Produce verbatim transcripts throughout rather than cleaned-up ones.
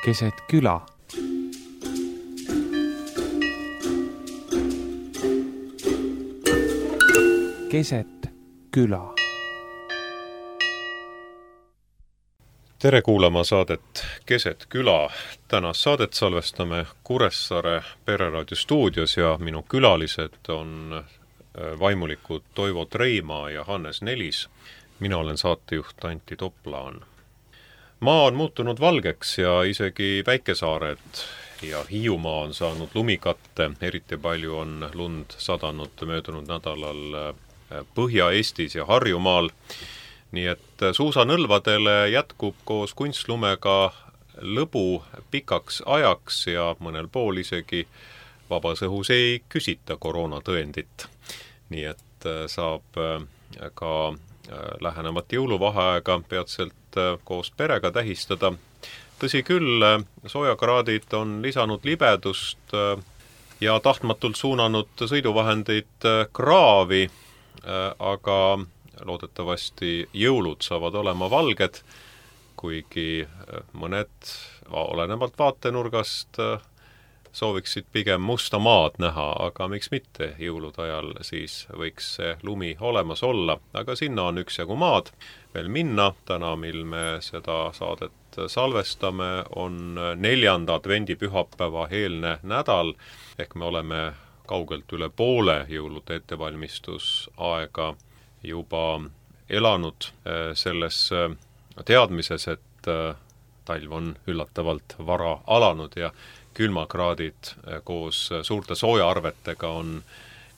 keset küla. Keset küla. Tere kuulama saadet Keset küla. Tänast saadet salvestame Kuressaare Pereraadio stuudios ja minu külalised on vaimulikud Toivo Treimaa ja Hannes Nelis. Mina olen saatejuht Antti Toplaan. Maa on muutunud valgeks ja isegi väikesaared ja Hiiumaa on saanud lumikatte. Eriti palju on lund sadanud möödunud nädalal Põhja-Eestis ja Harjumaal. Nii et suusanõlvadele jätkub koos kunstlumega lõbu pikaks ajaks ja mõnel pool isegi vabas õhus ei küsita koroonatõendit. Nii et saab ka lähenevat jõuluvaheaega peatselt koos perega tähistada. Tõsi küll, soojakraadid on lisanud libedust ja tahtmatult suunanud sõiduvahendeid kraavi, aga loodetavasti jõulud saavad olema valged, kuigi mõned olenevalt vaatenurgast sooviksid pigem musta maad näha, aga miks mitte jõulude ajal siis võiks see lumi olemas olla, aga sinna on üksjagu maad veel minna. Täna, mil me seda saadet salvestame, on neljanda advendipühapäeva eelne nädal, ehk me oleme kaugelt üle poole jõulude ettevalmistusaega juba elanud selles teadmises, et talv on üllatavalt vara alanud ja külmakraadid koos suurte soojaarvetega on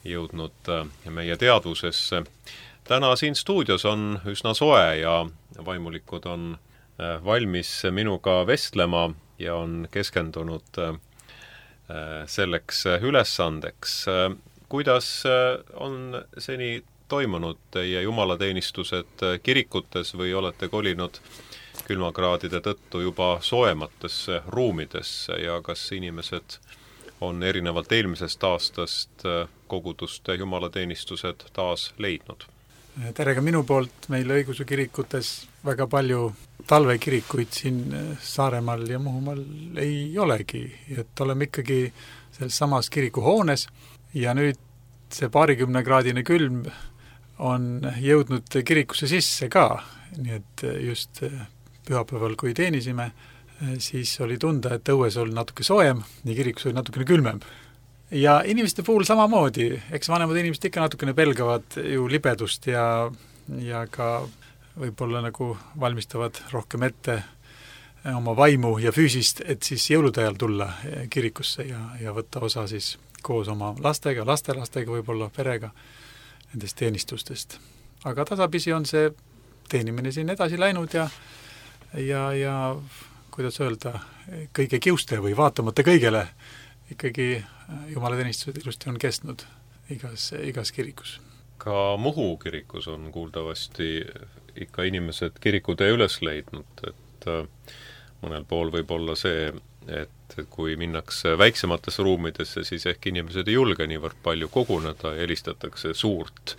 jõudnud meie teadvusesse. Täna siin stuudios on üsna soe ja vaimulikud on valmis minuga vestlema ja on keskendunud selleks ülesandeks. Kuidas on seni toimunud teie jumalateenistused kirikutes või olete kolinud külmakraadide tõttu juba soojematesse ruumidesse ja kas inimesed on erinevalt eelmisest aastast koguduste jumalateenistused taas leidnud? Tere ka minu poolt. Meil õigeusu kirikutes väga palju talvekirikuid siin Saaremaal ja Muhumaal ei olegi. Et oleme ikkagi selles samas kirikuhoones ja nüüd see paarikümne kraadine külm on jõudnud kirikusse sisse ka, nii et just pühapäeval, kui teenisime, siis oli tunda, et õues oli natuke soojem ja kirikus oli natukene külmem. Ja inimeste puhul samamoodi, eks vanemad inimesed ikka natukene pelgavad ju libedust ja, ja ka võib-olla nagu valmistavad rohkem ette oma vaimu ja füüsist, et siis jõulude ajal tulla kirikusse ja, ja võtta osa siis koos oma lastega, lastelastega, võib-olla perega nendest teenistustest. Aga tasapisi on see teenimine siin edasi läinud ja, ja, ja kuidas öelda, kõige kiuste või vaatamata kõigele ikkagi jumalateenistused ilusti on kestnud igas, igas kirikus. Ka Muhu kirikus on kuuldavasti ikka inimesed kirikutee üles leidnud, et mõnel pool võib olla see, et kui minnakse väiksematesse ruumidesse, siis ehk inimesed ei julge niivõrd palju koguneda ja helistatakse suurt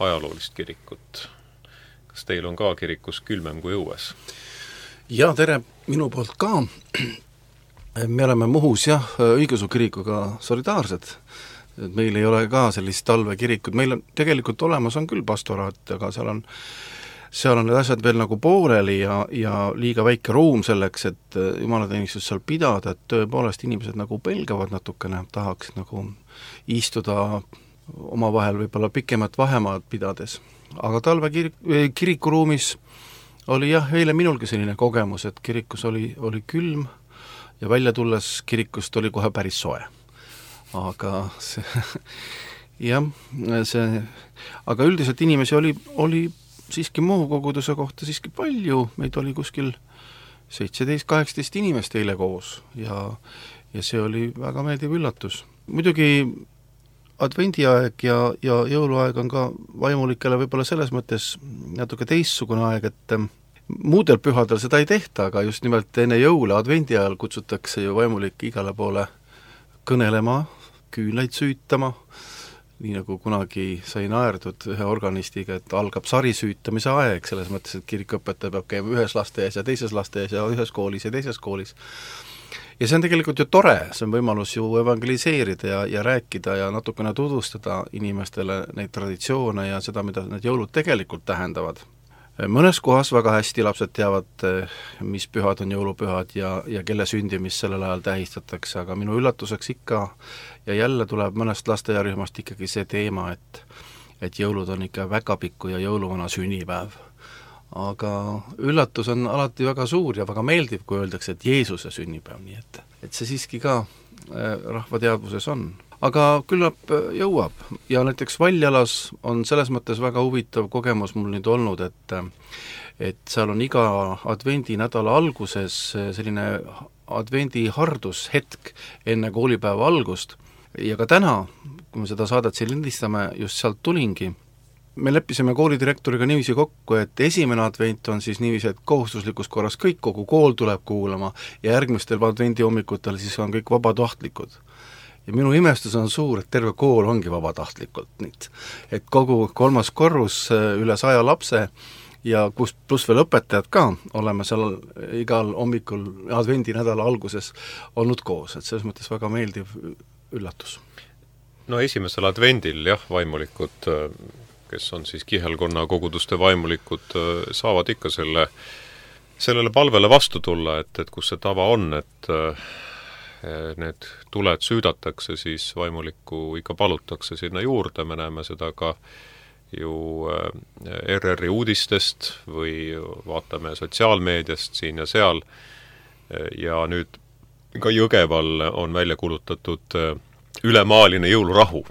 ajaloolist kirikut. Kas teil on ka kirikus külmem kui õues? Ja, tere minu poolt ka. Me oleme Muhus jah, õigeusu kirikuga solidaarsed. Meil ei ole ka sellist talvekirikut. Meil on tegelikult olemas on küll pastoraat, aga seal on seal on need asjad veel nagu pooleli ja, ja liiga väike ruum selleks, et jumalateenistus seal pidada, et tõepoolest inimesed nagu pelgavad natukene, tahaksid nagu istuda omavahel võib-olla pikemat vahemaad pidades. Aga talve kirik, kirikuruumis oli jah, eile minulgi selline kogemus, et kirikus oli, oli külm ja välja tulles kirikust oli kohe päris soe. Aga see, jah, see, aga üldiselt inimesi oli, oli siiski Muhu koguduse kohta siiski palju, meid oli kuskil seitseteist kaheksateist inimest eile koos ja, ja see oli väga meeldiv üllatus. Muidugi advendiaeg ja, ja jõuluaeg on ka vaimulikele võib-olla selles mõttes natuke teistsugune aeg, et muudel pühadel seda ei tehta, aga just nimelt enne jõule advendi ajal kutsutakse ju vaimulik igale poole kõnelema, küünlaid süütama nii nagu kunagi sai naerdud ühe organistiga, et algab sarisüütamise aeg, selles mõttes, et kirikuõpetaja peab käima ühes lasteaias ja teises lasteaias ja ühes koolis ja teises koolis. Ja see on tegelikult ju tore, see on võimalus ju evangeliseerida ja, ja rääkida ja natukene tutvustada inimestele neid traditsioone ja seda, mida need jõulud tegelikult tähendavad. Mõnes kohas väga hästi lapsed teavad, mis pühad on jõulupühad ja, ja kelle sündimist sellel ajal tähistatakse, aga minu üllatuseks ikka ja jälle tuleb mõnest lasteaiarühmast ikkagi see teema, et, et jõulud on ikka väga pikku ja jõuluvana sünnipäev. Aga üllatus on alati väga suur ja väga meeldiv, kui öeldakse, et Jeesuse sünnipäev, nii et, et see siiski ka rahva teadvuses on. Aga küllap jõuab ja näiteks Valjalas on selles mõttes väga huvitav kogemus mul nüüd olnud, et et seal on iga advendi nädala alguses selline advendi hardushetk enne koolipäeva algust ja ka täna, kui me seda saadet siin lindistame, just sealt tulingi, me leppisime koolidirektoriga niiviisi kokku, et esimene advent on siis niiviisi, et kohustuslikus korras kõik, kogu kool tuleb kuulama ja järgmistel advendi hommikutel siis on kõik vabatahtlikud. Ja minu imestus on suur, et terve kool ongi vabatahtlikult nüüd. Et kogu kolmas korrus üle saja lapse ja kus pluss veel õpetajad ka, oleme seal igal hommikul advendi nädala alguses olnud koos, et selles mõttes väga meeldiv üllatus. No esimesel advendil jah, vaimulikud, kes on siis kihelkonna koguduste vaimulikud, saavad ikka selle, sellele palvele vastu tulla, et, et kus see tava on, et need tuled süüdatakse, siis vaimulikku ikka palutakse sinna juurde, me näeme seda ka ju R R-i uudistest või vaatame sotsiaalmeediast siin ja seal ja nüüd ka Jõgeval on välja kulutatud ülemaaline jõulurahu.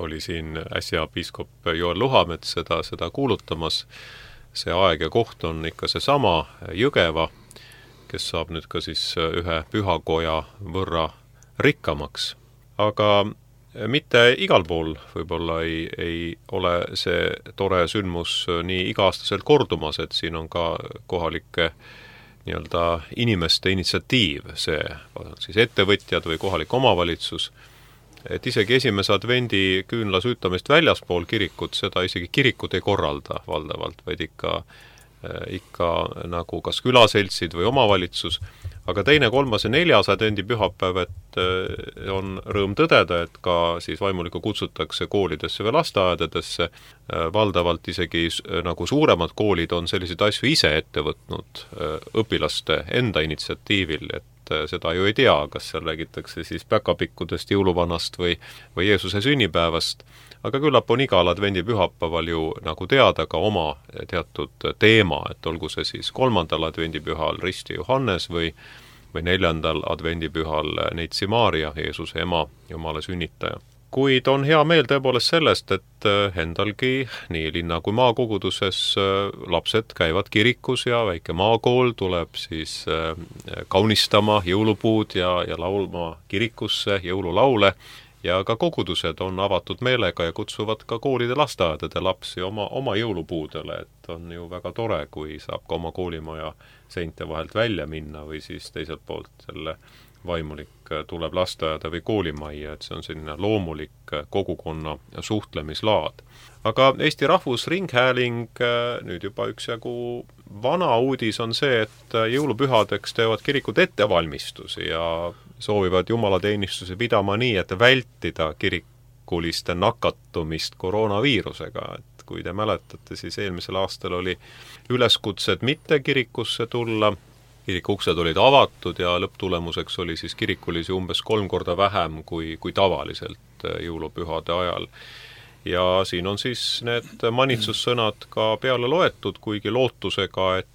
Oli siin äsja piiskop Joel Luhamets seda, seda kuulutamas. See aeg ja koht on ikka see sama Jõgeva, kes saab nüüd ka siis ühe pühakoja võrra rikkamaks. Aga mitte igal pool võib-olla ei, ei ole see tore sündmus nii iga-aastaselt kordumas, et siin on ka kohalike nii-öelda inimeste initsiatiiv, see siis ettevõtjad või kohalik omavalitsus, et isegi esimese advendi küünla süütamist väljaspool kirikut, seda isegi kirikut ei korralda valdavalt, vaid ikka ikka nagu kas külaseltsid või omavalitsus, aga teine, kolmas ja neljas advendi pühapäev, et on rõõm tõdeda, et ka siis vaimulikku kutsutakse koolidesse või lasteaedadesse, valdavalt isegi nagu suuremad koolid on selliseid asju ise ette võtnud õpilaste enda initsiatiivil, et seda ju ei tea, kas seal räägitakse siis päkapikkudest, jõuluvanast või, või Jeesuse sünnipäevast, aga küllap on igal advendi pühapäeval ju nagu teada ka oma teatud teema, et olgu see siis kolmandal advendipühal Risti Johannes või, või neljandal advendipühal Neitsi Maarja, Jeesuse ema, Jumala sünnitaja. Kuid on hea meel tõepoolest sellest, et endalgi nii linna kui maakoguduses lapsed käivad kirikus ja väike maakool tuleb siis kaunistama jõulupuud ja, ja laulma kirikusse jõululaule. Ja ka kogudused on avatud meelega ja kutsuvad ka koolide lasteaedade lapsi oma, oma jõulupuudele, et on ju väga tore, kui saab ka oma koolimaja seinte vahelt välja minna või siis teiselt poolt selle vaimulik tuleb lasteaeda või koolimajja, et see on selline loomulik kogukonna suhtlemislaad. Aga Eesti Rahvusringhääling nüüd juba üksjagu vana uudis on see, et jõulupühadeks teevad kirikud ettevalmistusi ja soovivad jumalateenistuse pidama nii, et vältida kirikuliste nakatumist koroonaviirusega. Et kui te mäletate, siis eelmisel aastal oli üleskutsed mitte kirikusse tulla, kirikuksed olid avatud ja lõpptulemuseks oli siis kirikulisi umbes kolm korda vähem kui, kui tavaliselt jõulupühade ajal. Ja siin on siis need manitsussõnad ka peale loetud, kuigi lootusega, et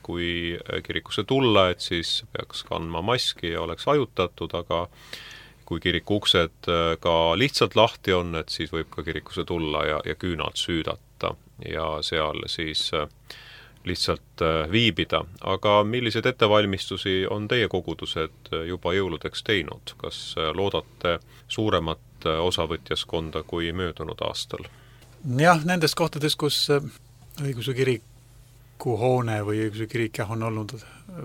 kui kirikusse tulla, et siis peaks kandma maski ja oleks ajutatud, aga kui kiriku uksed ka lihtsalt lahti on, et siis võib ka kirikusse tulla ja, ja küünalt süüdata ja seal siis lihtsalt viibida. Aga millised ettevalmistusi on teie kogudused juba jõuludeks teinud? Kas loodate suuremat osavõtjaskonda kui möödunud aastal? Jah, nendes kohtades, kus õiguse kiriku hoone või õiguse kirik jah, on olnud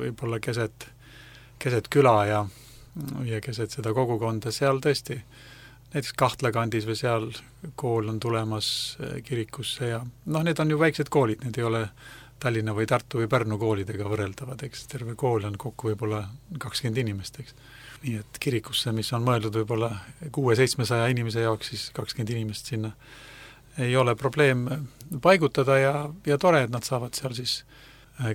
võib-olla keset, keset küla ja, ja keset seda kogukonda, seal tõesti näiteks Kahtla kandis või seal kool on tulemas kirikusse ja noh, need on ju väiksed koolid, need ei ole Tallinna või Tartu või Pärnu koolidega võrreldavad, eks terve kool on kokku võib-olla kakskümmend inimest, eks. Nii et kirikusse, mis on mõeldud võib-olla kuue-seitsmesaja inimese jaoks, siis kakskümmend inimest sinna ei ole probleem paigutada ja, ja tore, et nad saavad seal siis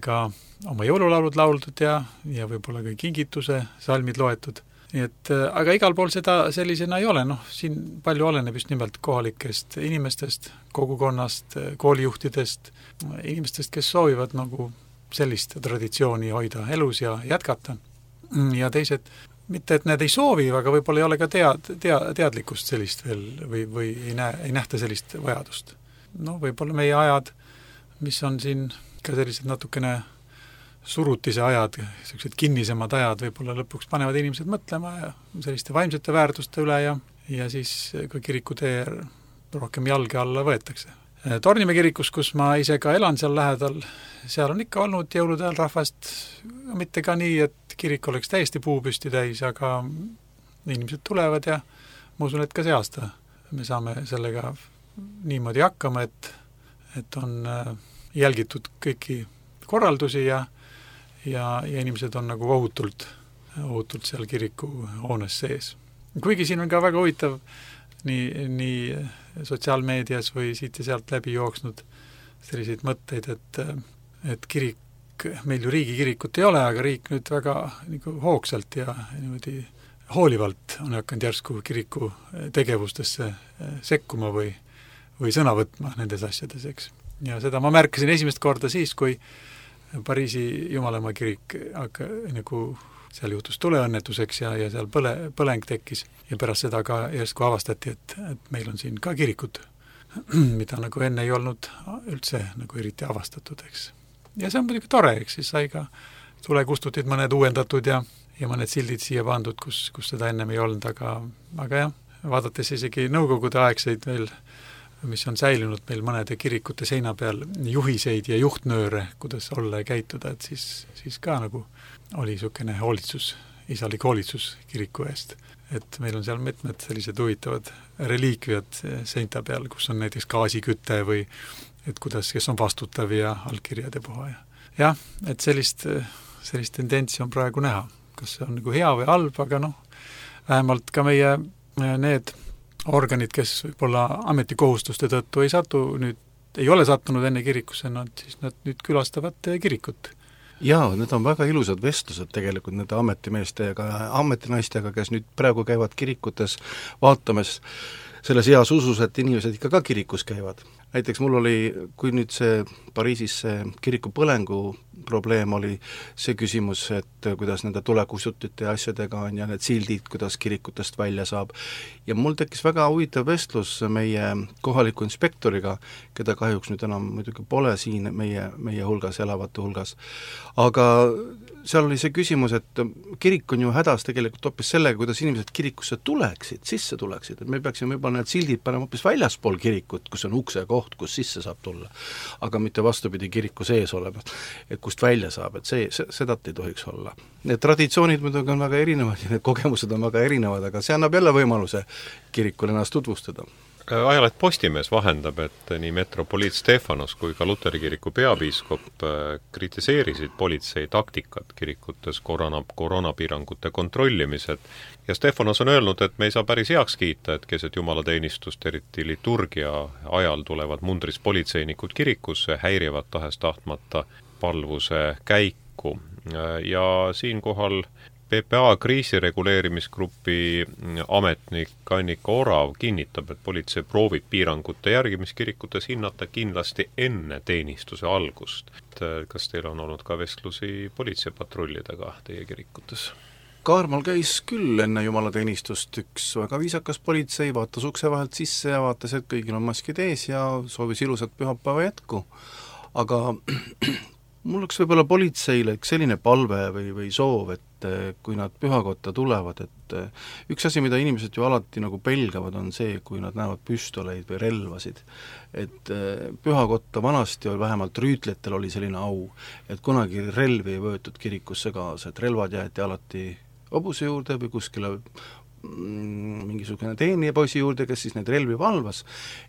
ka oma jõululaulud lauldud ja, ja võib-olla ka kingituse salmid loetud. Nii et, aga igal pool seda sellisena ei ole, noh, siin palju oleneb just nimelt kohalikest inimestest, kogukonnast, koolijuhtidest, inimestest, kes soovivad nagu sellist traditsiooni hoida elus ja jätkata. Ja teised, mitte et need ei soovi, aga võib-olla ei ole ka tead, tead, teadlikkust sellist veel või, või ei, näe, ei nähta sellist vajadust. No võib-olla meie ajad, mis on siin ka sellised natukene surutise ajad, sellised kinnisemad ajad võib-olla lõpuks panevad inimesed mõtlema ja selliste vaimsete väärtuste üle ja, ja siis ka kirikutee rohkem jalge alla võetakse. Tornimäe kirikus, kus ma ise ka elan seal lähedal, seal on ikka olnud jõulude ajal rahvast, mitte ka nii, et kirik oleks täiesti puupüsti täis, aga inimesed tulevad ja ma usun, et ka see aasta me saame sellega niimoodi hakkama, et, et on jälgitud kõiki korraldusi ja Ja, ja inimesed on nagu ohutult, ohutult seal kiriku hoones sees. Kuigi siin on ka väga huvitav nii, nii sotsiaalmeedias või siit ja sealt läbi jooksnud selliseid mõtteid, et, et kirik, meil ju riigikirikut ei ole, aga riik nüüd väga nagu hoogsalt ja niimoodi hoolivalt on hakanud järsku kiriku tegevustesse sekkuma või, või sõna võtma nendes asjades, eks. Ja seda ma märkasin esimest korda siis, kui Pariisi Jumalamaa kirik aga, nagu seal juhtus tuleõnnetuseks ja, ja seal põle, põleng tekkis ja pärast seda ka järsku avastati, et, et meil on siin ka kirikud, mida nagu enne ei olnud üldse nagu eriti avastatud, eks. Ja see on muidugi tore, eks, siis sai ka tulekustutid mõned uuendatud ja, ja mõned sildid siia pandud, kus, kus seda ennem ei olnud, aga, aga jah, vaadates isegi nõukogude aegseid veel mis on säilinud meil mõnede kirikute seina peal juhiseid ja juhtnööre, kuidas olla ja käituda, et siis, siis ka nagu oli niisugune hoolitsus, isalik hoolitsus kiriku eest. Et meil on seal mitmed sellised huvitavad reliikviad seinta peal, kus on näiteks gaasiküte või et kuidas, kes on vastutav ja allkirjade puha. Jah, et sellist, sellist tendentsi on praegu näha. Kas see on nagu hea või halb, aga noh, vähemalt ka meie need organid, kes võib-olla ametikohustuste tõttu ei satu nüüd, ei ole sattunud enne kirikusse, nad siis nad nüüd külastavad kirikut. Jaa, need on väga ilusad vestlused tegelikult nende ametimeestega ja ametinaistega, kes nüüd praegu käivad kirikutes vaatamas selles heas usus, et inimesed ikka ka kirikus käivad. Näiteks mul oli, kui nüüd see Pariisis see kiriku põlengu probleem oli see küsimus, et kuidas nende tulekustutite ja asjadega on ja need sildid, kuidas kirikutest välja saab. Ja mul tekkis väga huvitav vestlus meie kohaliku inspektoriga, keda kahjuks nüüd enam muidugi pole siin meie, meie hulgas, elavate hulgas. Aga seal oli see küsimus, et kirik on ju hädas tegelikult hoopis sellega, kuidas inimesed kirikusse tuleksid, sisse tuleksid, et me peaksime juba need sildid panema hoopis väljaspool kirikut, kus on ukse koht, kus sisse saab tulla, aga mitte vastupidi kiriku sees olema, et kust välja saab, et see, see, seda ei tohiks olla. Need traditsioonid muidugi on väga erinevad ja need kogemused on väga erinevad, aga see annab jälle võimaluse kirikul ennast tutvustada. Ajaleht Postimees vahendab, et nii metropoliit Stefanos kui ka Luteri kiriku peapiiskop kritiseerisid politsei taktikat kirikutes korona, koroonapiirangute kontrollimised ja Stefanos on öelnud, et me ei saa päris heaks kiita, et keset jumalateenistust, eriti liturgia ajal tulevad mundris politseinikud kirikusse, häirivad tahes tahtmata palvuse käiku ja siinkohal P P A kriisireguleerimisgrupi ametnik Annika Orav kinnitab, et politsei proovib piirangute järgimiskirikutes hinnata kindlasti enne teenistuse algust. Kas teil on olnud ka vestlusi politseipatrullidega teie kirikutes? Kaarmal käis küll enne jumalateenistust üks väga viisakas politsei, vaatas ukse vahelt sisse ja vaatas, et kõigil on maskid ees ja soovis ilusat pühapäeva jätku. Aga mul oleks võib-olla politseile üks selline palve või, või soov, et kui nad pühakotta tulevad, et üks asi, mida inimesed ju alati nagu pelgavad, on see, kui nad näevad püstoleid või relvasid. Et pühakotta vanasti oli vähemalt rüütletel oli selline au, et kunagi relvi ei võetud kirikusse kaasa, et relvad jäeti alati hobuse juurde või kuskile mm, mingisugune teenijapoisi juurde, kes siis neid relvi valvas,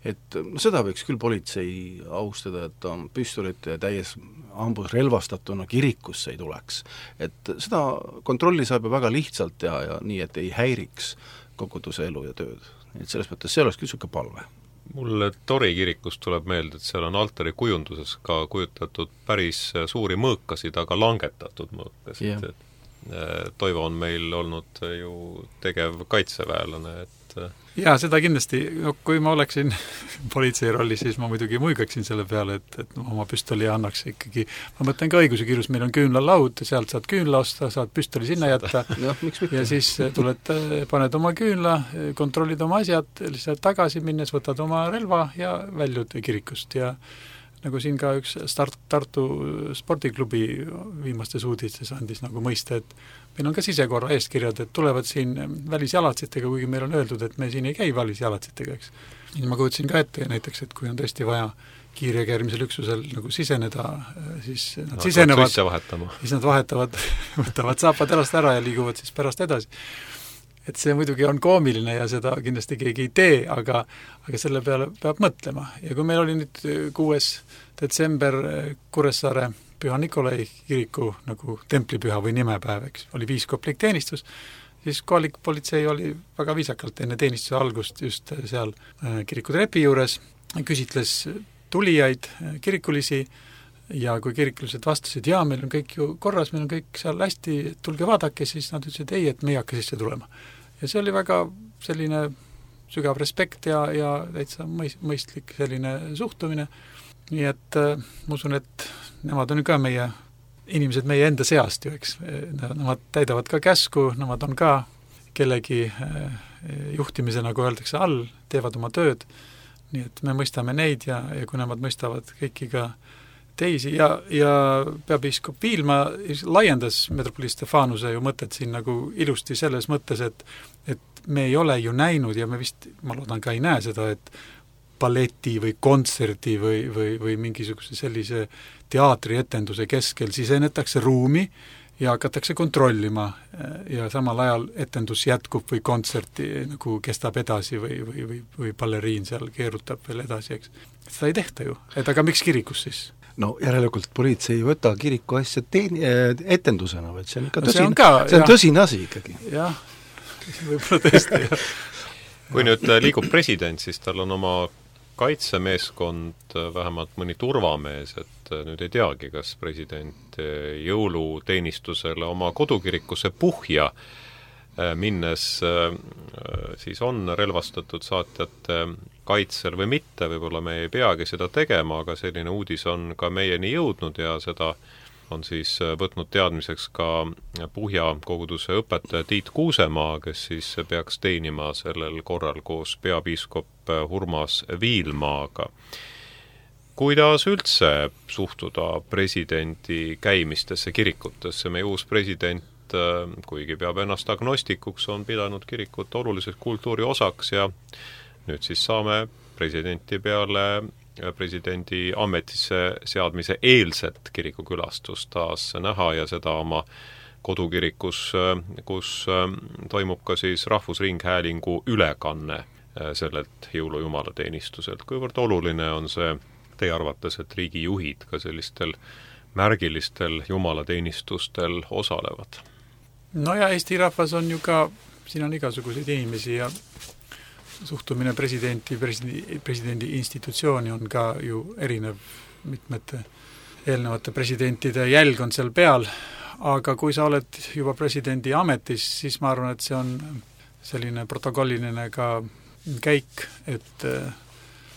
et no seda võiks küll politsei austada, et ta püstolite täies ambus relvastatuna kirikusse ei tuleks. Et seda kontrolli saab ju väga lihtsalt teha ja nii, et ei häiriks koguduse elu ja tööd. Et selles mõttes see oleks küll niisugune palve. Mulle Tori kirikust tuleb meelde, et seal on altari kujunduses ka kujutatud päris suuri mõõkasid, aga langetatud mõõkasid. Yeah. Et Toivo on meil olnud ju tegev kaitseväelane, et jaa, seda kindlasti, no, kui ma oleksin politsei rollis, siis ma muidugi muigaksin selle peale, et, et oma püstoli annaks ikkagi, ma mõtlen ka õiguse kirjus, meil on küünlalaud, sealt saad küünla osta, saad püstoli sinna jätta ja, ja siis tuled, paned oma küünla, kontrollid oma asjad, lihtsalt tagasi minnes võtad oma relva ja väljud kirikust ja nagu siin ka üks start, Tartu spordiklubi viimastes uudistes andis nagu mõista, et meil on ka sisekorra eeskirjad, et tulevad siin välisjalatsitega, kuigi meil on öeldud, et me siin ei käi välisjalatsitega, eks. Ja ma kujutsin ka ette näiteks, et kui on tõesti vaja kiirreageerimisel üksusel nagu siseneda, siis nad no, sisenevad, siis nad vahetavad, võtavad saapad jalast ära ja liiguvad siis pärast edasi. Et see muidugi on koomiline ja seda kindlasti keegi ei tee, aga, aga selle peale peab mõtlema. Ja kui meil oli nüüd kuues detsember Kuressaare Püha Nikolai kiriku nagu templipüha või nimepäev, eks, oli piiskoplik teenistus, siis kohalik politsei oli väga viisakalt enne teenistuse algust just seal kiriku trepi juures, küsitles tulijaid, kirikulisi, ja kui kirikulised vastasid, jaa, meil on kõik ju korras, meil on kõik seal hästi, tulge vaadake, siis nad ütlesid ei, et me ei hakka sisse tulema. Ja see oli väga selline sügav respekt ja, ja täitsa mõistlik selline suhtumine. Nii et äh, ma usun, et nemad on ka meie inimesed meie enda seast ju, eks. Nemad täidavad ka käsku, nemad on ka kellegi äh, juhtimise, nagu öeldakse, all, teevad oma tööd. Nii et me mõistame neid ja, ja kui nemad mõistavad kõiki ka teisi ja, ja peapiiskop Viilma laiendas metropoliit Stefanuse ju mõtet siin nagu ilusti selles mõttes, et, et me ei ole ju näinud ja me vist, ma loodan ka ei näe seda, et balleti või kontserdi või, või, või mingisuguse sellise teatrietenduse keskel sisenetakse ruumi ja hakatakse kontrollima ja samal ajal etendus jätkub või kontserti nagu kestab edasi või, või, või, või balleriin seal keerutab veel edasi, eks. Seda ei tehta ju, et aga miks kirikus siis? No järelikult politsei ei võta kiriku asja teeni, etendusena, vaid see on ikka no, tõsine, see on, ka, see on tõsine asi ikkagi. Jah, võib-olla tõesti. Kui nüüd liigub president, siis tal on oma kaitsemeeskond, vähemalt mõni turvamees, et nüüd ei teagi, kas president jõuluteenistusele oma kodukirikusse Puhja minnes siis on relvastatud saatjate kaitsel või mitte, võib-olla me ei peagi seda tegema, aga selline uudis on ka meieni jõudnud ja seda on siis võtnud teadmiseks ka Puhja koguduse õpetaja Tiit Kuusemaa, kes siis peaks teenima sellel korral koos peapiiskop Urmas Viilmaaga. Kuidas üldse suhtuda presidendi käimistesse kirikutesse? Meie uus president, kuigi peab ennast agnostikuks, on pidanud kirikut oluliseks kultuuri osaks ja nüüd siis saame presidenti peale presidendi ametisse seadmise eelset kirikukülastust taas näha ja seda oma kodukirikus, kus toimub ka siis Rahvusringhäälingu ülekanne sellelt jõulujumalateenistuselt. Kuivõrd oluline on see teie arvates, et riigijuhid ka sellistel märgilistel jumalateenistustel osalevad? No ja Eesti rahvas on ju ka, siin on igasuguseid inimesi ja suhtumine presidenti, presidendi, presidendi institutsiooni on ka ju erinev, mitmete eelnevate presidentide jälg on seal peal, aga kui sa oled juba presidendi ametis, siis ma arvan, et see on selline protokolliline ka käik, et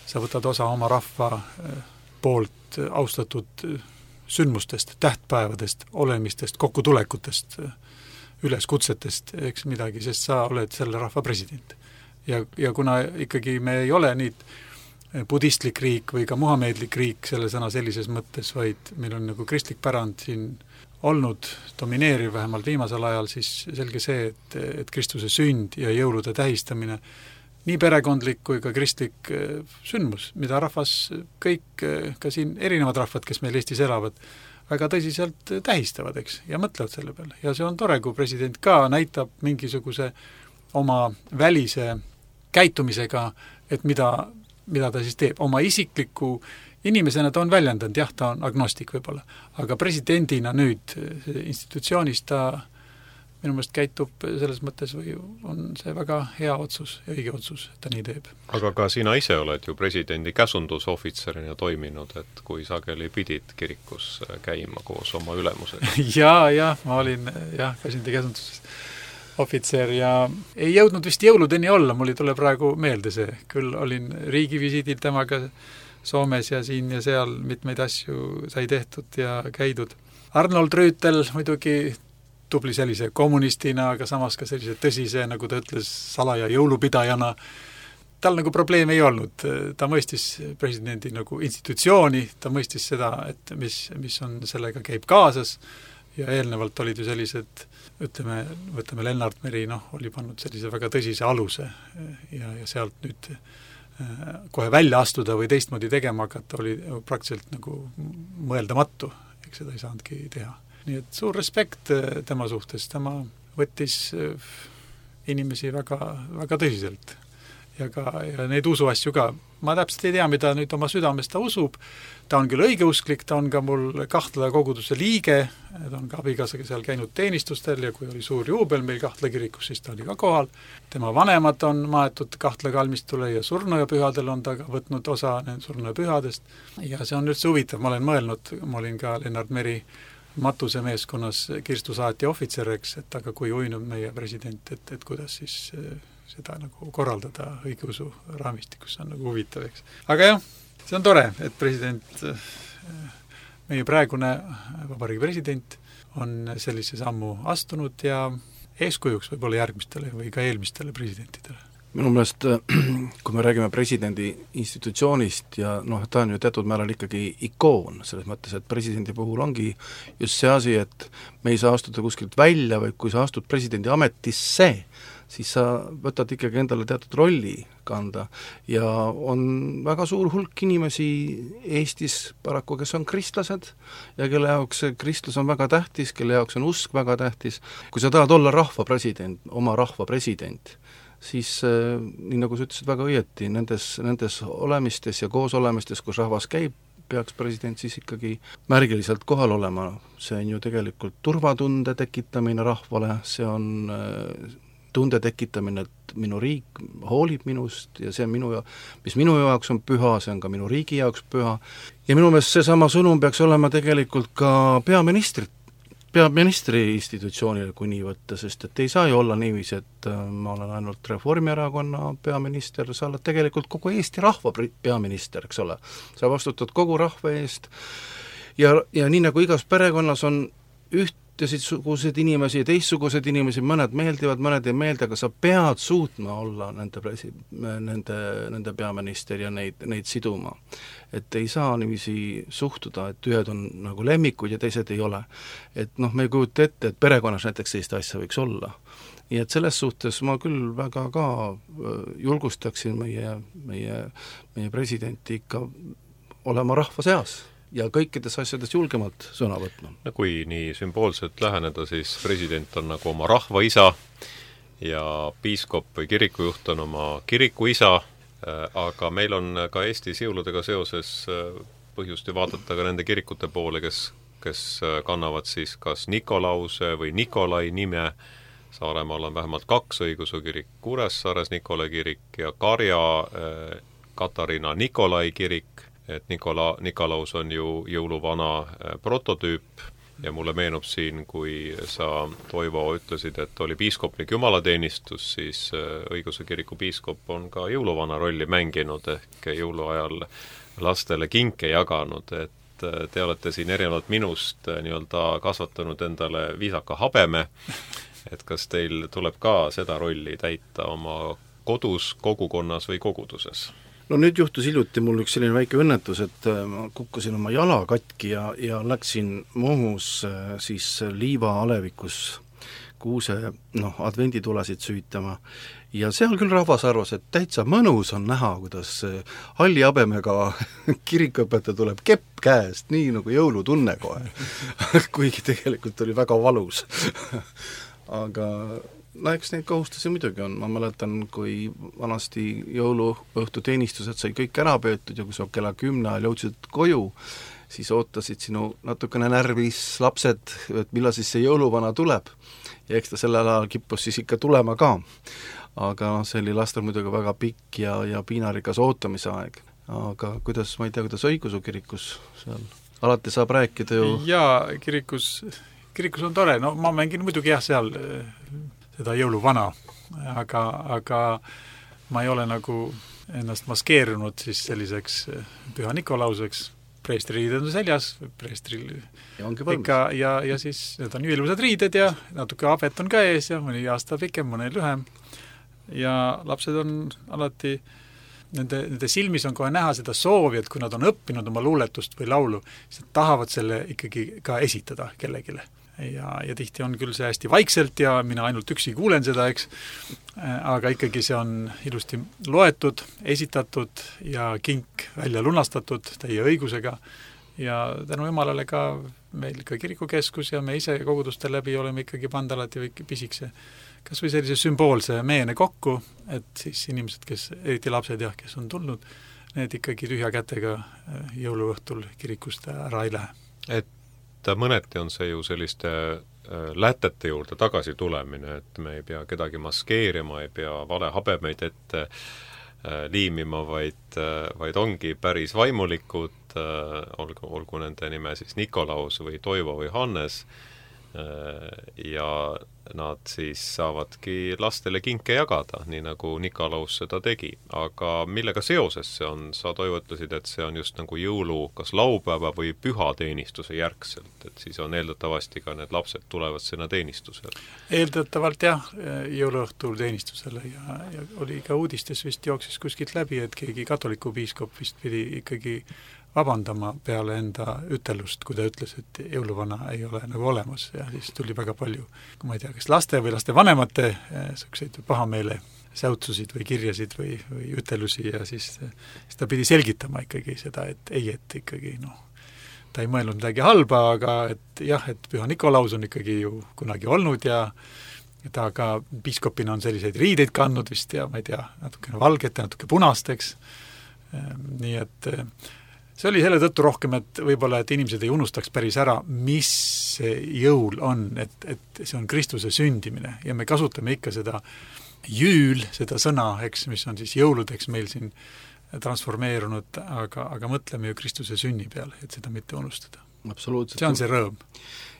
sa võtad osa oma rahva poolt austatud sündmustest, tähtpäevadest, olemistest, kokkutulekutest, üleskutsetest, eks midagi, sest sa oled selle rahva president. Ja, ja kuna ikkagi me ei ole nii budistlik riik või ka muhameedlik riik selle sõna sellises mõttes, vaid meil on nagu kristlik pärand siin olnud domineeriv vähemalt viimasel ajal, siis selge see, et, et Kristuse sünd ja jõulude tähistamine nii perekondlik kui ka kristlik sündmus, mida rahvas kõik, ka siin erinevad rahvad, kes meil Eestis elavad, väga tõsiselt tähistavad, eks, ja mõtlevad selle peale. Ja see on tore, kui president ka näitab mingisuguse oma välise käitumisega, et mida, mida ta siis teeb. Oma isikliku inimesena ta on väljendanud, jah, ta on agnostik võib-olla, aga presidendina nüüd institutsioonis ta minu meelest käitub selles mõttes või on see väga hea otsus ja õige otsus, et ta nii teeb. Aga ka sina ise oled ju presidendi käsundusohvitserina toiminud, et kui sageli pidid kirikus käima koos oma ülemusega. jaa, jah, ma olin jah, presidendi käsunduses ohvitser ja ei jõudnud vist jõuludeni olla, mul ei tule praegu meelde see. Küll olin riigivisiidil temaga Soomes ja siin ja seal mitmeid asju sai tehtud ja käidud. Arnold Rüütel muidugi tubli sellise kommunistina, aga samas ka sellise tõsise, nagu ta ütles, salaja jõulupidajana. Tal nagu probleem ei olnud. Ta mõistis presidendi nagu institutsiooni, ta mõistis seda, et mis, mis on sellega käib kaasas ja eelnevalt olid ju sellised, ütleme, võtame Lennart Meri, noh, oli pannud sellise väga tõsise aluse ja, ja sealt nüüd kohe välja astuda või teistmoodi tegema hakata oli praktiliselt nagu mõeldamatu, eks seda ei saanudki teha. Nii et suur respekt tema suhtes, tema võttis inimesi väga, väga tõsiselt ja, ka, ja neid usuasju ka. Ma täpselt ei tea, mida nüüd oma südames ta usub, ta on küll õigeusklik, ta on ka mul Kahtla koguduse liige, ta on ka abikaasaga seal käinud teenistustel ja kui oli suur juubel meil Kahtla kirikus, siis ta oli ka kohal. Tema vanemad on maetud Kahtla kalmistule ja surnuaiapühadel on ta võtnud osa surnuaiapühadest ja see on üldse huvitav, ma olen mõelnud, ma olin ka Lennart Meri Matuse meeskonnas Kirstu saati ohvitser, eks, et aga kui uinub meie president, et, et kuidas siis seda nagu korraldada õigeusu raamistikus, see on nagu huvitav, eks. Aga jah, see on tore, et president, meie praegune vabariigi president on sellise sammu astunud ja eeskujuks võib-olla järgmistele või ka eelmistele presidentidele. Minu meelest, kui me räägime presidendi institutsioonist ja noh, ta on ju teatud määral ikkagi ikoon, selles mõttes, et presidendi puhul ongi just see asi, et me ei saa astuda kuskilt välja, või kui sa astud presidendi ametisse, siis sa võtad ikkagi endale teatud rolli kanda ja on väga suur hulk inimesi Eestis paraku, kes on kristlased ja kelle jaoks kristlus on väga tähtis, kelle jaoks on usk väga tähtis. Kui sa tahad olla rahva president, oma rahva president, siis nii nagu sa ütlesid väga õieti, nendes, nendes olemistes ja koosolemistes, kus rahvas käib, peaks president siis ikkagi märgiliselt kohal olema. See on ju tegelikult turvatunde tekitamine rahvale, see on tunde tekitamine, et minu riik hoolib minust ja see on minu, mis minu jaoks on püha, see on ka minu riigi jaoks püha. Ja minu meelest see sama sõnum peaks olema tegelikult ka peaministrit, peaministri institutsioonile, kui nii võtta, sest et ei saa ju olla niiviisi, et ma olen ainult Reformierakonna peaminister, sa oled tegelikult kogu Eesti rahva peaminister, eks ole. Sa vastutad kogu rahva eest ja, ja nii nagu igas perekonnas on ühtesugused inimesi ja teistsugused inimesi, mõned meeldivad, mõned ei meeldi, aga sa pead suutma olla nende, presi, nende, nende peaminister ja neid, neid siduma. Et ei saa niiviisi suhtuda, et ühed on nagu lemmikud ja teised ei ole. Et noh, me ei kujuta ette, et perekonnas näiteks sellist asja võiks olla. Ja et selles suhtes ma küll väga ka julgustaksin meie, meie, meie presidenti ikka olema rahva seas ja kõikides asjades julgemalt sõna võtma. No kui nii sümboolselt läheneda, siis president on nagu oma rahva isa ja piiskop või kirikujuht on oma kiriku isa, aga meil on ka Eestis jõuludega seoses põhjust ju vaadata ka nende kirikute poole, kes, kes kannavad siis kas Nikolause või Nikolai nime. Saaremaal on vähemalt kaks õigeusu kirik, Kuressaares Nikolai kirik ja Karja Katariina Nikolai kirik, et Nikola, Nikolaus on ju jõuluvana prototüüp ja mulle meenub siin, kui sa, Toivo, ütlesid, et oli piiskoplik jumalateenistus, siis õigeusu kiriku piiskop on ka jõuluvana rolli mänginud ehk jõuluajal lastele kinke jaganud, et te olete siin erinevalt minust nii-öelda kasvatanud endale viisaka habeme, et kas teil tuleb ka seda rolli täita oma kodus, kogukonnas või koguduses? No nüüd juhtus hiljuti mul üks selline väike õnnetus, et ma kukkusin oma jala katki ja, ja läksin Muhus siis liiva alevikus kuuse noh, advenditulesid süütama ja seal küll rahvas arvas, et täitsa mõnus on näha, kuidas halli habemega kirikuõpetaja tuleb kepp käest, nii nagu jõulutunne kohe, kuigi tegelikult oli väga valus. aga no eks neid kohustusi muidugi on, ma mäletan, kui vanasti jõuluõhtu teenistused sai kõik ära peetud ja kui sa kella kümne ajal jõudsid koju, siis ootasid sinu natukene närvis lapsed, et millal siis see jõuluvana tuleb ja eks ta sellel ajal kippus siis ikka tulema ka. Aga see oli lastel muidugi väga pikk ja, ja piinarikas ootamise aeg. Aga kuidas, ma ei tea, kuidas õigeusu kirikus seal alati saab rääkida ju... Jaa, kirikus, kirikus on tore, no ma mängin muidugi jah seal seda jõuluvana, aga, aga ma ei ole nagu ennast maskeerunud siis selliseks Püha Nikolauseks, preestri riided on seljas, preestril ja ikka ja, ja siis need on ilusad riided ja natuke abet on ka ees ja mõni aasta pikem, mõne lühem ja lapsed on alati Nende, nende silmis on kohe näha seda soovi, et kui nad on õppinud oma luuletust või laulu, siis nad tahavad selle ikkagi ka esitada kellegile. Ja, ja tihti on küll see hästi vaikselt ja mina ainult üksi kuulen seda, eks, aga ikkagi see on ilusti loetud, esitatud ja kink välja lunastatud teie õigusega ja tänu Jumalale ka meil ka kirikukeskus ja me ise koguduste läbi oleme ikkagi pannud alati või pisikse kas või sellise sümboolse meene kokku, et siis inimesed, kes, eriti lapsed jah, kes on tulnud, need ikkagi tühja kätega jõuluõhtul kirikust ära ei lähe. Et mõneti on see ju selliste lätete juurde tagasi tulemine, et me ei pea kedagi maskeerima, ei pea vale habemeid ette liimima, vaid, vaid ongi päris vaimulikud, olgu, olgu nende nime siis Nikolaus või Toivo või Hannes, ja nad siis saavadki lastele kinke jagada, nii nagu Nikolaus seda tegi. Aga millega seoses see on? Sa Toivo ütlesid, et see on just nagu jõulu kas laupäeva või pühateenistuse järgselt, et siis on eeldatavasti ka need lapsed tulevad sinna teenistusele. Eeldatavalt jah, jõuluõhtul teenistusele ja, ja oli ka uudistes vist jooksis kuskilt läbi, et keegi katoliku piiskop vist pidi ikkagi vabandama peale enda ütelust, kui ta ütles, et jõuluvana ei ole nagu olemas ja siis tuli väga palju, kui ma ei tea, kas laste või laste vanemate selliseid pahameele säutsusid või kirjasid või, või ütelusi ja siis, siis ta pidi selgitama ikkagi seda, et ei, et ikkagi noh, ta ei mõelnud midagi halba, aga et jah, et Püha Nikolaus on ikkagi ju kunagi olnud ja ta ka piiskopina on selliseid riideid kandnud vist ja ma ei tea, natukene valget ja natuke punasteks, nii et see oli selle tõttu rohkem, et võib-olla, et inimesed ei unustaks päris ära, mis see jõul on, et, et see on Kristuse sündimine ja me kasutame ikka seda jüül, seda sõna, eks, mis on siis jõuludeks meil siin transformeerunud, aga, aga mõtleme ju Kristuse sünni peale, et seda mitte unustada. Absoluutselt. See on see rõõm.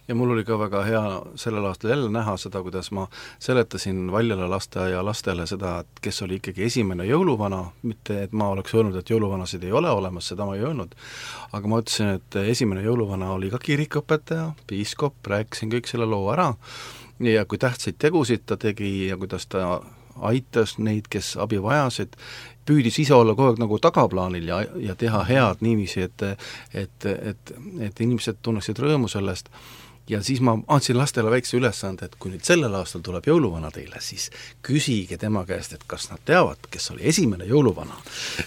Ja mul oli ka väga hea sellel aastal jälle näha seda, kuidas ma seletasin Valjala lasteaia lastele seda, et kes oli ikkagi esimene jõuluvana, mitte et ma oleks öelnud, et jõuluvanasid ei ole olemas, seda ma ei öelnud, aga ma ütlesin, et esimene jõuluvana oli ka kirikuõpetaja, piiskop, rääkisin kõik selle loo ära ja kui tähtsaid tegusid ta tegi ja kuidas ta aitas neid, kes abi vajasid, püüdis ise olla kogu aeg nagu tagaplaanil ja, ja teha head niiviisi, et, et, et, et inimesed tunneksid rõõmu sellest. Ja siis ma andsin lastele väikse ülesande, et kui nüüd sellel aastal tuleb jõuluvana teile, siis küsige tema käest, et kas nad teavad, kes oli esimene jõuluvana.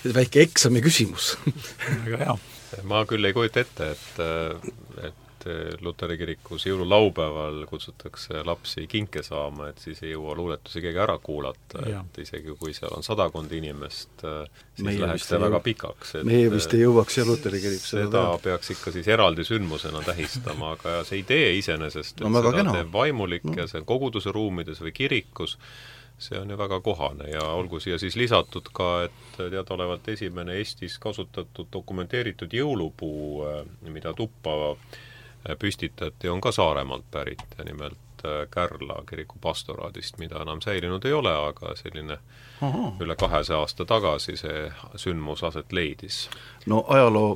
Väike eksami küsimus. Väga hea. Ma küll ei kujuta ette, et, et Luteri kirikus jõululaupäeval kutsutakse lapsi kinke saama, et siis ei jõua luuletusi keegi ära kuulata, ja. Et isegi kui seal on sadakond inimest, siis meie läheks see väga pikaks. Et meie vist ei jõuaks ja Luteri kirik seda, seda peaks ikka siis eraldi sündmusena tähistama, aga see idee iseenesest, et no, seda kena. Teeb vaimulik no. Ja see koguduse ruumides või kirikus, see on ju väga kohane ja olgu siia siis lisatud ka, et teadaolevalt esimene Eestis kasutatud dokumenteeritud jõulupuu, mida tuppa püstitati, on ka Saaremaalt pärit ja nimelt Kärla kiriku pastoraadist, mida enam säilinud ei ole, aga selline Aha. üle kahesaja aasta tagasi see sündmus aset leidis. No ajaloo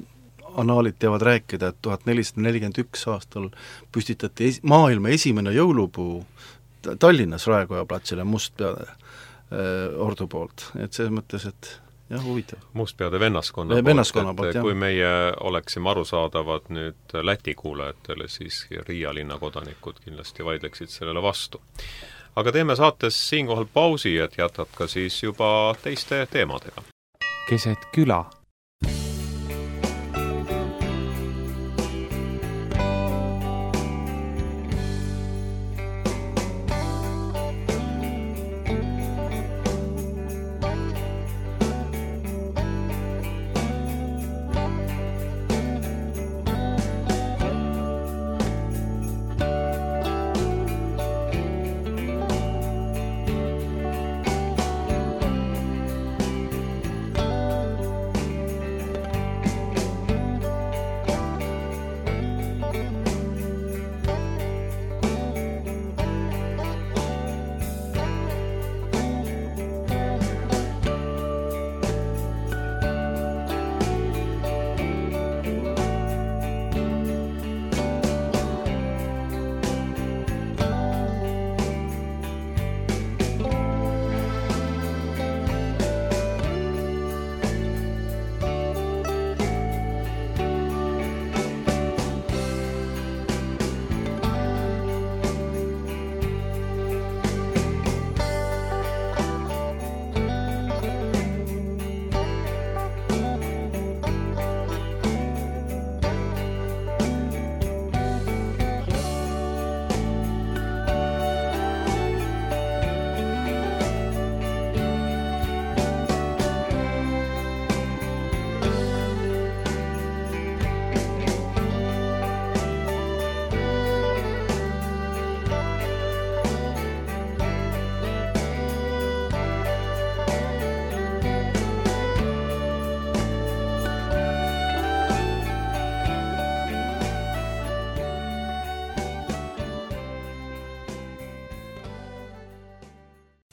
anaalid teavad rääkida, et tuhat nelisada nelikümmend üks aastal püstitati es- maailma esimene jõulupuu Tallinnas Raekoja platsile Mustpeade äh, ordu poolt, et selles mõttes, et jah, huvitav. Mustpeade vennaskonna poolt, vennaskonna et poolt, kui meie oleksime arusaadavad nüüd Läti kuulajatele, siis Riia linna kodanikud kindlasti vaidleksid sellele vastu. Aga teeme saates siinkohal pausi, et jätkata siis juba teiste teemadega. Keset küla.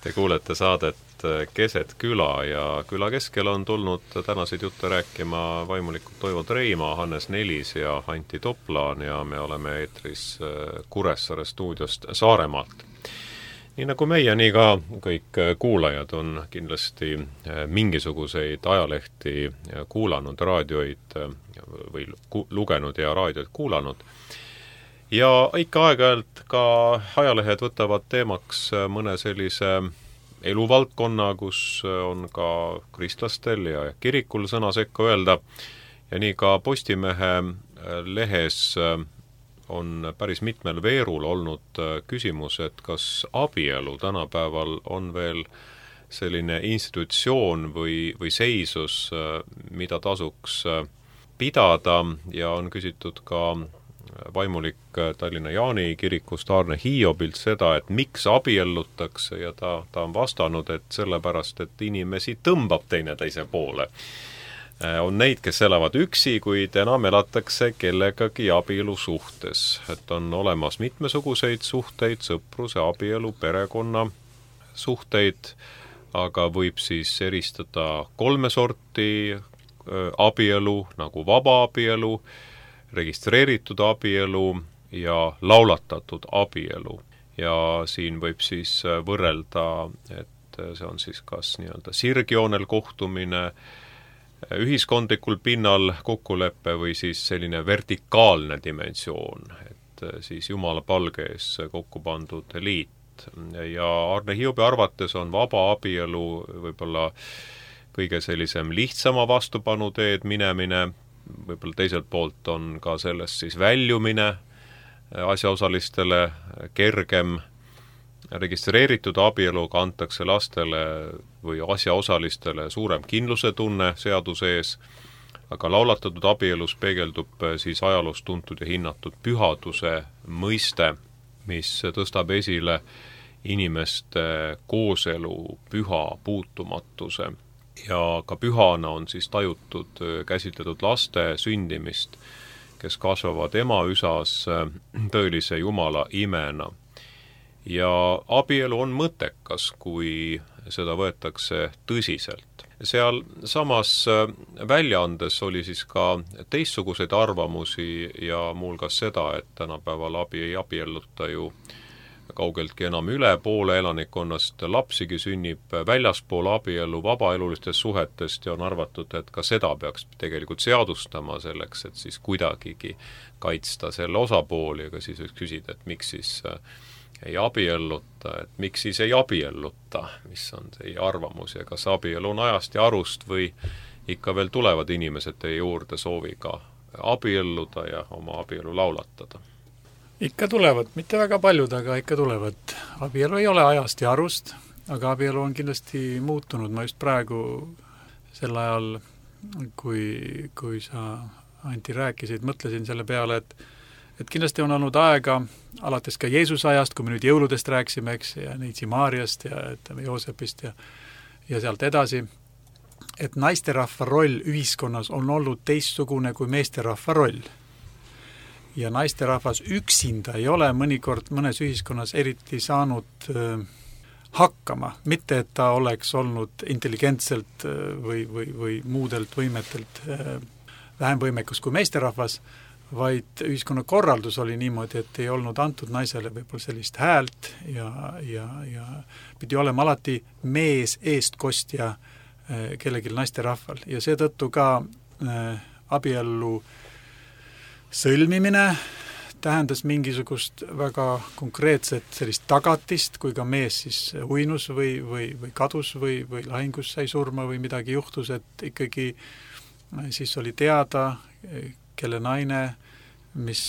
Te kuulete saadet Keset küla ja küla keskel on tulnud tänaseid jutte rääkima vaimulikult Toivo Treima, Hannes Nelis ja Anti Toplaan ja me oleme eetris Kuressaare stuudiost Saaremaalt. Nii nagu meie, nii ka kõik kuulajad on kindlasti mingisuguseid ajalehti kuulanud, raadioid või lugenud ja raadioid kuulanud. Ja ikka aeg-ajalt ka ajalehed võtavad teemaks mõne sellise eluvaldkonna, kus on ka kristlastel ja kirikul sõna sekka öelda. Ja nii ka Postimehe lehes on päris mitmel veerul olnud küsimus, et kas abielu tänapäeval on veel selline institutsioon või, või seisus, mida tasuks pidada ja on küsitud ka vaimulik Tallinna Jaani kirikust Aarne Hiobilt seda, et miks abiellutakse ja ta, ta on vastanud, et sellepärast, et inimesi tõmbab teine teise poole. On neid, kes elavad üksi, kuid enam elatakse kellegagi abielu suhtes. Et on olemas mitmesuguseid suhteid, sõpruse, abielu, perekonna suhteid, aga võib siis eristada kolme sorti abielu, nagu vaba abielu, registreeritud abielu ja laulatatud abielu. Ja siin võib siis võrrelda, et see on siis kas nii-öelda sirgjoonel kohtumine, ühiskondlikul pinnal kokkuleppe või siis selline vertikaalne dimensioon, et siis Jumala palge ees kokku pandud liit. Ja Aarne Hiobi arvates on vaba abielu võib-olla kõige sellisem lihtsama vastupanu teed minemine, võib-olla teiselt poolt on ka sellest siis väljumine asjaosalistele kergem. Registreeritud abieluga antakse lastele või asjaosalistele suurem kindluse tunne seaduse ees, aga laulatatud abielus peegeldub siis ajaloos tuntud ja hinnatud pühaduse mõiste, mis tõstab esile inimeste kooselu püha puutumatuse. Ja ka pühana on siis tajutud käsitletud laste sündimist, kes kasvavad ema-üsas tõelise Jumala imena. Ja abielu on mõttekas, kui seda võetakse tõsiselt. Seal samas väljaandes oli siis ka teistsuguseid arvamusi ja muuhulgas seda, et tänapäeval abi ei abielluta ju kaugeltki enam üle poole elanikkonnast, lapsigi sünnib väljaspool abielu vabaelulistest suhetest ja on arvatud, et ka seda peaks tegelikult seadustama selleks, et siis kuidagigi kaitsta selle osapooli, aga siis võiks küsida, et miks siis ei abielluta, et miks siis ei abielluta, mis on teie arvamus ja kas abielu on ajast ja arust või ikka veel tulevad inimesed teie juurde sooviga abielluda ja oma abielu laulatada? Ikka tulevad, mitte väga paljud, aga ikka tulevad. Abielu ei ole ajast ja arust, aga abielu on kindlasti muutunud. Ma just praegu sel ajal, kui, kui sa, Anti, rääkisid, mõtlesin selle peale, et et kindlasti on olnud aega alates ka Jeesuse ajast, kui me nüüd jõuludest rääksime, eks, ja Neitsi Maariast ja ütleme Joosepist ja, ja sealt edasi, et naisterahva roll ühiskonnas on olnud teistsugune kui meesterahva roll. Ja naisterahvas üksinda ei ole mõnikord mõnes ühiskonnas eriti saanud äh, hakkama, mitte et ta oleks olnud intelligentselt äh, või, või, või muudelt võimetelt äh, vähem võimekus kui meesterahvas, vaid ühiskonna korraldus oli niimoodi, et ei olnud antud naisele võib-olla sellist häält ja, ja, ja pidi olema alati mees eestkostja äh, kellelgi naisterahval. Ja seetõttu ka äh, abiellu sõlmimine tähendas mingisugust väga konkreetset sellist tagatist, kui ka mees siis uinus või, või, või kadus või, või lahingus sai surma või midagi juhtus, et ikkagi siis oli teada, kelle naine, mis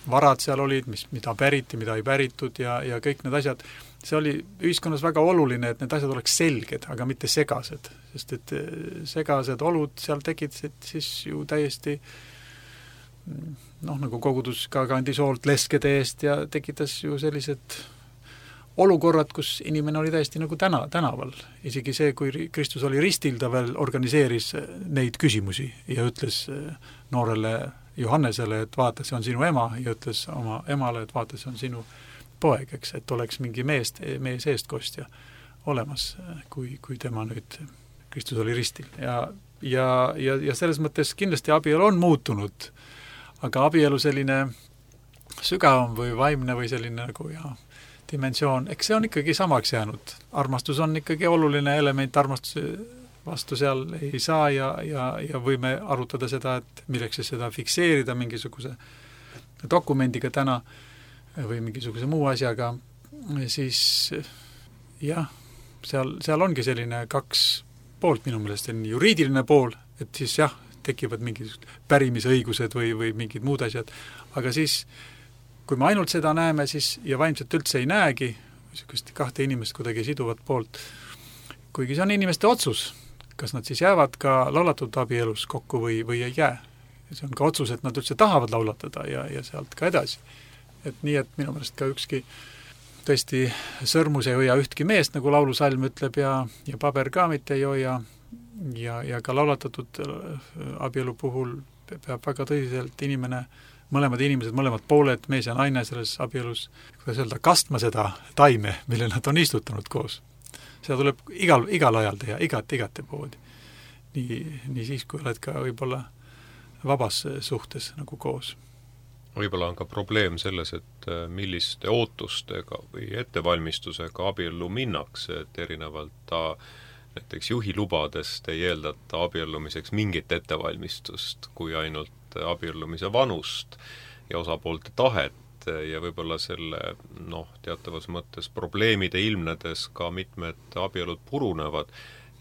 varad seal olid, mis, mida päriti, mida ei päritud ja, ja kõik need asjad. See oli ühiskonnas väga oluline, et need asjad oleks selged, aga mitte segased, sest et segased olud seal tekitasid siis ju täiesti noh, nagu kogudus ka kandis hoolt leskede eest ja tekitas ju sellised olukorrad, kus inimene oli täiesti nagu täna, tänaval. Isegi see, kui Kristus oli ristil, ta veel organiseeris neid küsimusi ja ütles noorele Johannesele, et vaata, see on sinu ema, ja ütles oma emale, et vaata, see on sinu poeg, eks, et oleks mingi meest, mees eestkostja olemas, kui, kui tema nüüd, Kristus oli ristil. Ja, ja, ja, ja selles mõttes kindlasti abielu on muutunud, aga abielu selline sügavam või vaimne või selline nagu ja dimensioon, eks see on ikkagi samaks jäänud. Armastus on ikkagi oluline element, armastuse vastu seal ei saa ja, ja, ja võime arutada seda, et milleks siis seda fikseerida mingisuguse dokumendiga täna või mingisuguse muu asjaga, siis jah, seal, seal ongi selline kaks poolt minu meelest, juriidiline pool, et siis jah, tekivad mingisugused pärimisõigused või, või mingid muud asjad, aga siis kui me ainult seda näeme, siis ja vaimselt üldse ei näegi, niisugust kahte inimest kuidagi siduvat poolt, kuigi see on inimeste otsus, kas nad siis jäävad ka laulatud abielus kokku või, või ei jää. See on ka otsus, et nad üldse tahavad laulatada ja, ja sealt ka edasi. Et nii, et minu meelest ka ükski tõesti sõrmus ei hoia ühtki meest, nagu laulusalm ütleb, ja, ja paber ka mitte ei hoia, ja, ja ka laulatatud abielu puhul peab väga tõsiselt inimene, mõlemad inimesed, mõlemad pooled, mees ja naine selles abielus, kuidas öelda, kastma seda taime, mille nad on istutanud koos. Seda tuleb igal, igal ajal teha, igat, igate poodi. Nii, nii siis, kui oled ka võib-olla vabas suhtes nagu koos. Võib-olla on ka probleem selles, et milliste ootustega või ettevalmistusega abiellu minnakse, et erinevalt ta näiteks juhilubadest ei eeldata abiellumiseks mingit ettevalmistust kui ainult abiellumise vanust ja osapoolte tahet, ja võib-olla selle noh, teatavas mõttes probleemide ilmnedes ka mitmed abielud purunevad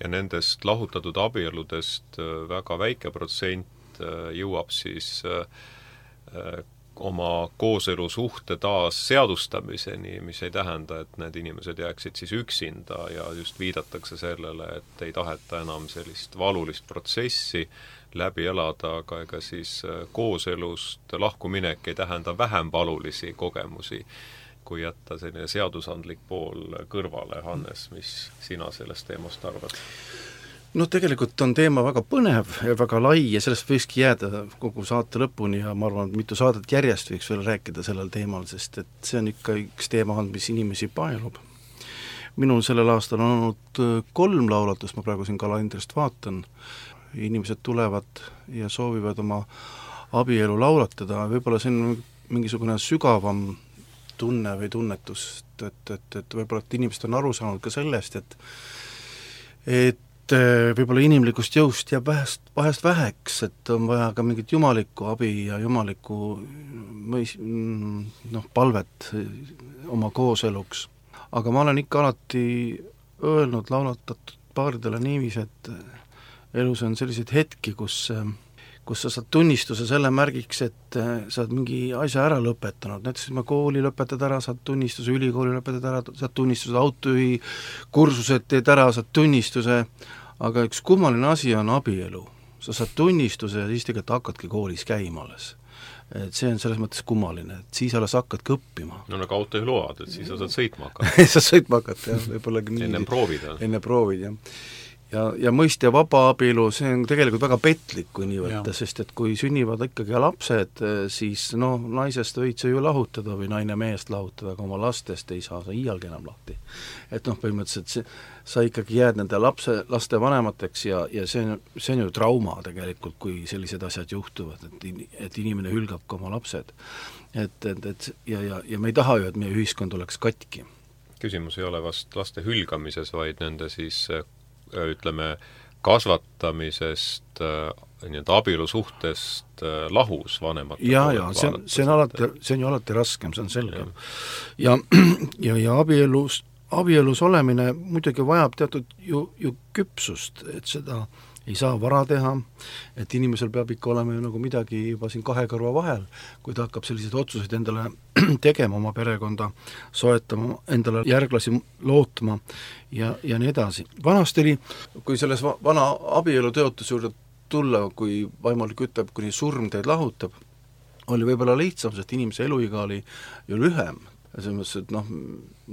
ja nendest lahutatud abieludest väga väike protsent jõuab siis oma kooselu suhte taas seadustamiseni, mis ei tähenda, et need inimesed jääksid siis üksinda ja just viidatakse sellele, et ei taheta enam sellist valulist protsessi läbi elada, aga ega siis kooselust lahkuminek ei tähenda vähem valulisi kogemusi, kui jätta selline seadusandlik pool kõrvale. Hannes, mis sina sellest teemast arvad? No tegelikult on teema väga põnev ja väga lai ja sellest võikski jääda kogu saate lõpuni ja ma arvan, et mitu saadet järjest võiks veel rääkida sellel teemal, sest et see on ikka üks teema, mis inimesi paelub. Minul sellel aastal on olnud kolm laulatust, ma praegu siin kalendrist vaatan, inimesed tulevad ja soovivad oma abielu laulatada, võib-olla see on mingisugune sügavam tunne või tunnetus, et, et, et võib-olla et inimesed on aru saanud ka sellest, et et võib-olla inimlikust jõust jääb vähest, vahest väheks, et on vaja ka mingit jumalikku abi ja jumalikku mõis, noh, palvet oma kooseluks. Aga ma olen ikka alati öelnud laulatatud paaridele niivis, et elus on selliseid hetki, kus, kus sa saad tunnistuse selle märgiks, et sa oled mingi asja ära lõpetanud, näiteks ma kooli lõpetad ära, saad tunnistuse, ülikooli lõpetad ära, saad tunnistuse, autojuhi kursused teed ära, saad tunnistuse, aga üks kummaline asi on abielu. Sa saad tunnistuse ja siis tegelikult hakkadki koolis käima alles. Et see on selles mõttes kummaline, et siis alles hakkadki õppima. No nagu autojuhi load, et siis sa saad sõitma hakata. sa sõitma hakata, jah, võib-olla nii. Enne proovida. Enne proovida, jah. Ja, ja mõiste vaba abielu, see on tegelikult väga petlik, kui nii võtta, sest et kui sünnivad ikkagi lapsed, siis no naisest võid sa ju lahutada või naine mehest lahutada, aga oma lastest ei saa sa iialgi enam lahti. Et noh, põhimõtteliselt see, sa ikkagi jääd nende lapse, laste vanemateks ja, ja see on, see on ju trauma tegelikult, kui sellised asjad juhtuvad, et, et inimene hülgab ka oma lapsed. Et, et, et ja, ja, ja me ei taha ju, et meie ühiskond oleks katki. Küsimus ei ole vast laste hülgamises, vaid nende siis ütleme, kasvatamisest, nii-öelda abielusuhtest lahus vanemate ja, ja see on, see on alati, see on ju alati raskem, see on selge. Ja, ja, ja abielus, abielus olemine muidugi vajab teatud ju, ju küpsust, et seda ei saa vara teha, et inimesel peab ikka olema ju nagu midagi juba siin kahe kõrva vahel, kui ta hakkab selliseid otsuseid endale tegema, oma perekonda soetama, endale järglasi lootma ja, ja nii edasi. Vanasti oli, kui selles vana abielu teotuse juurde tulla, kui vaimulik ütleb, kuni surm teid lahutab, oli võib-olla lihtsam, sest inimese eluiga oli ju lühem. Ja selles mõttes, et noh,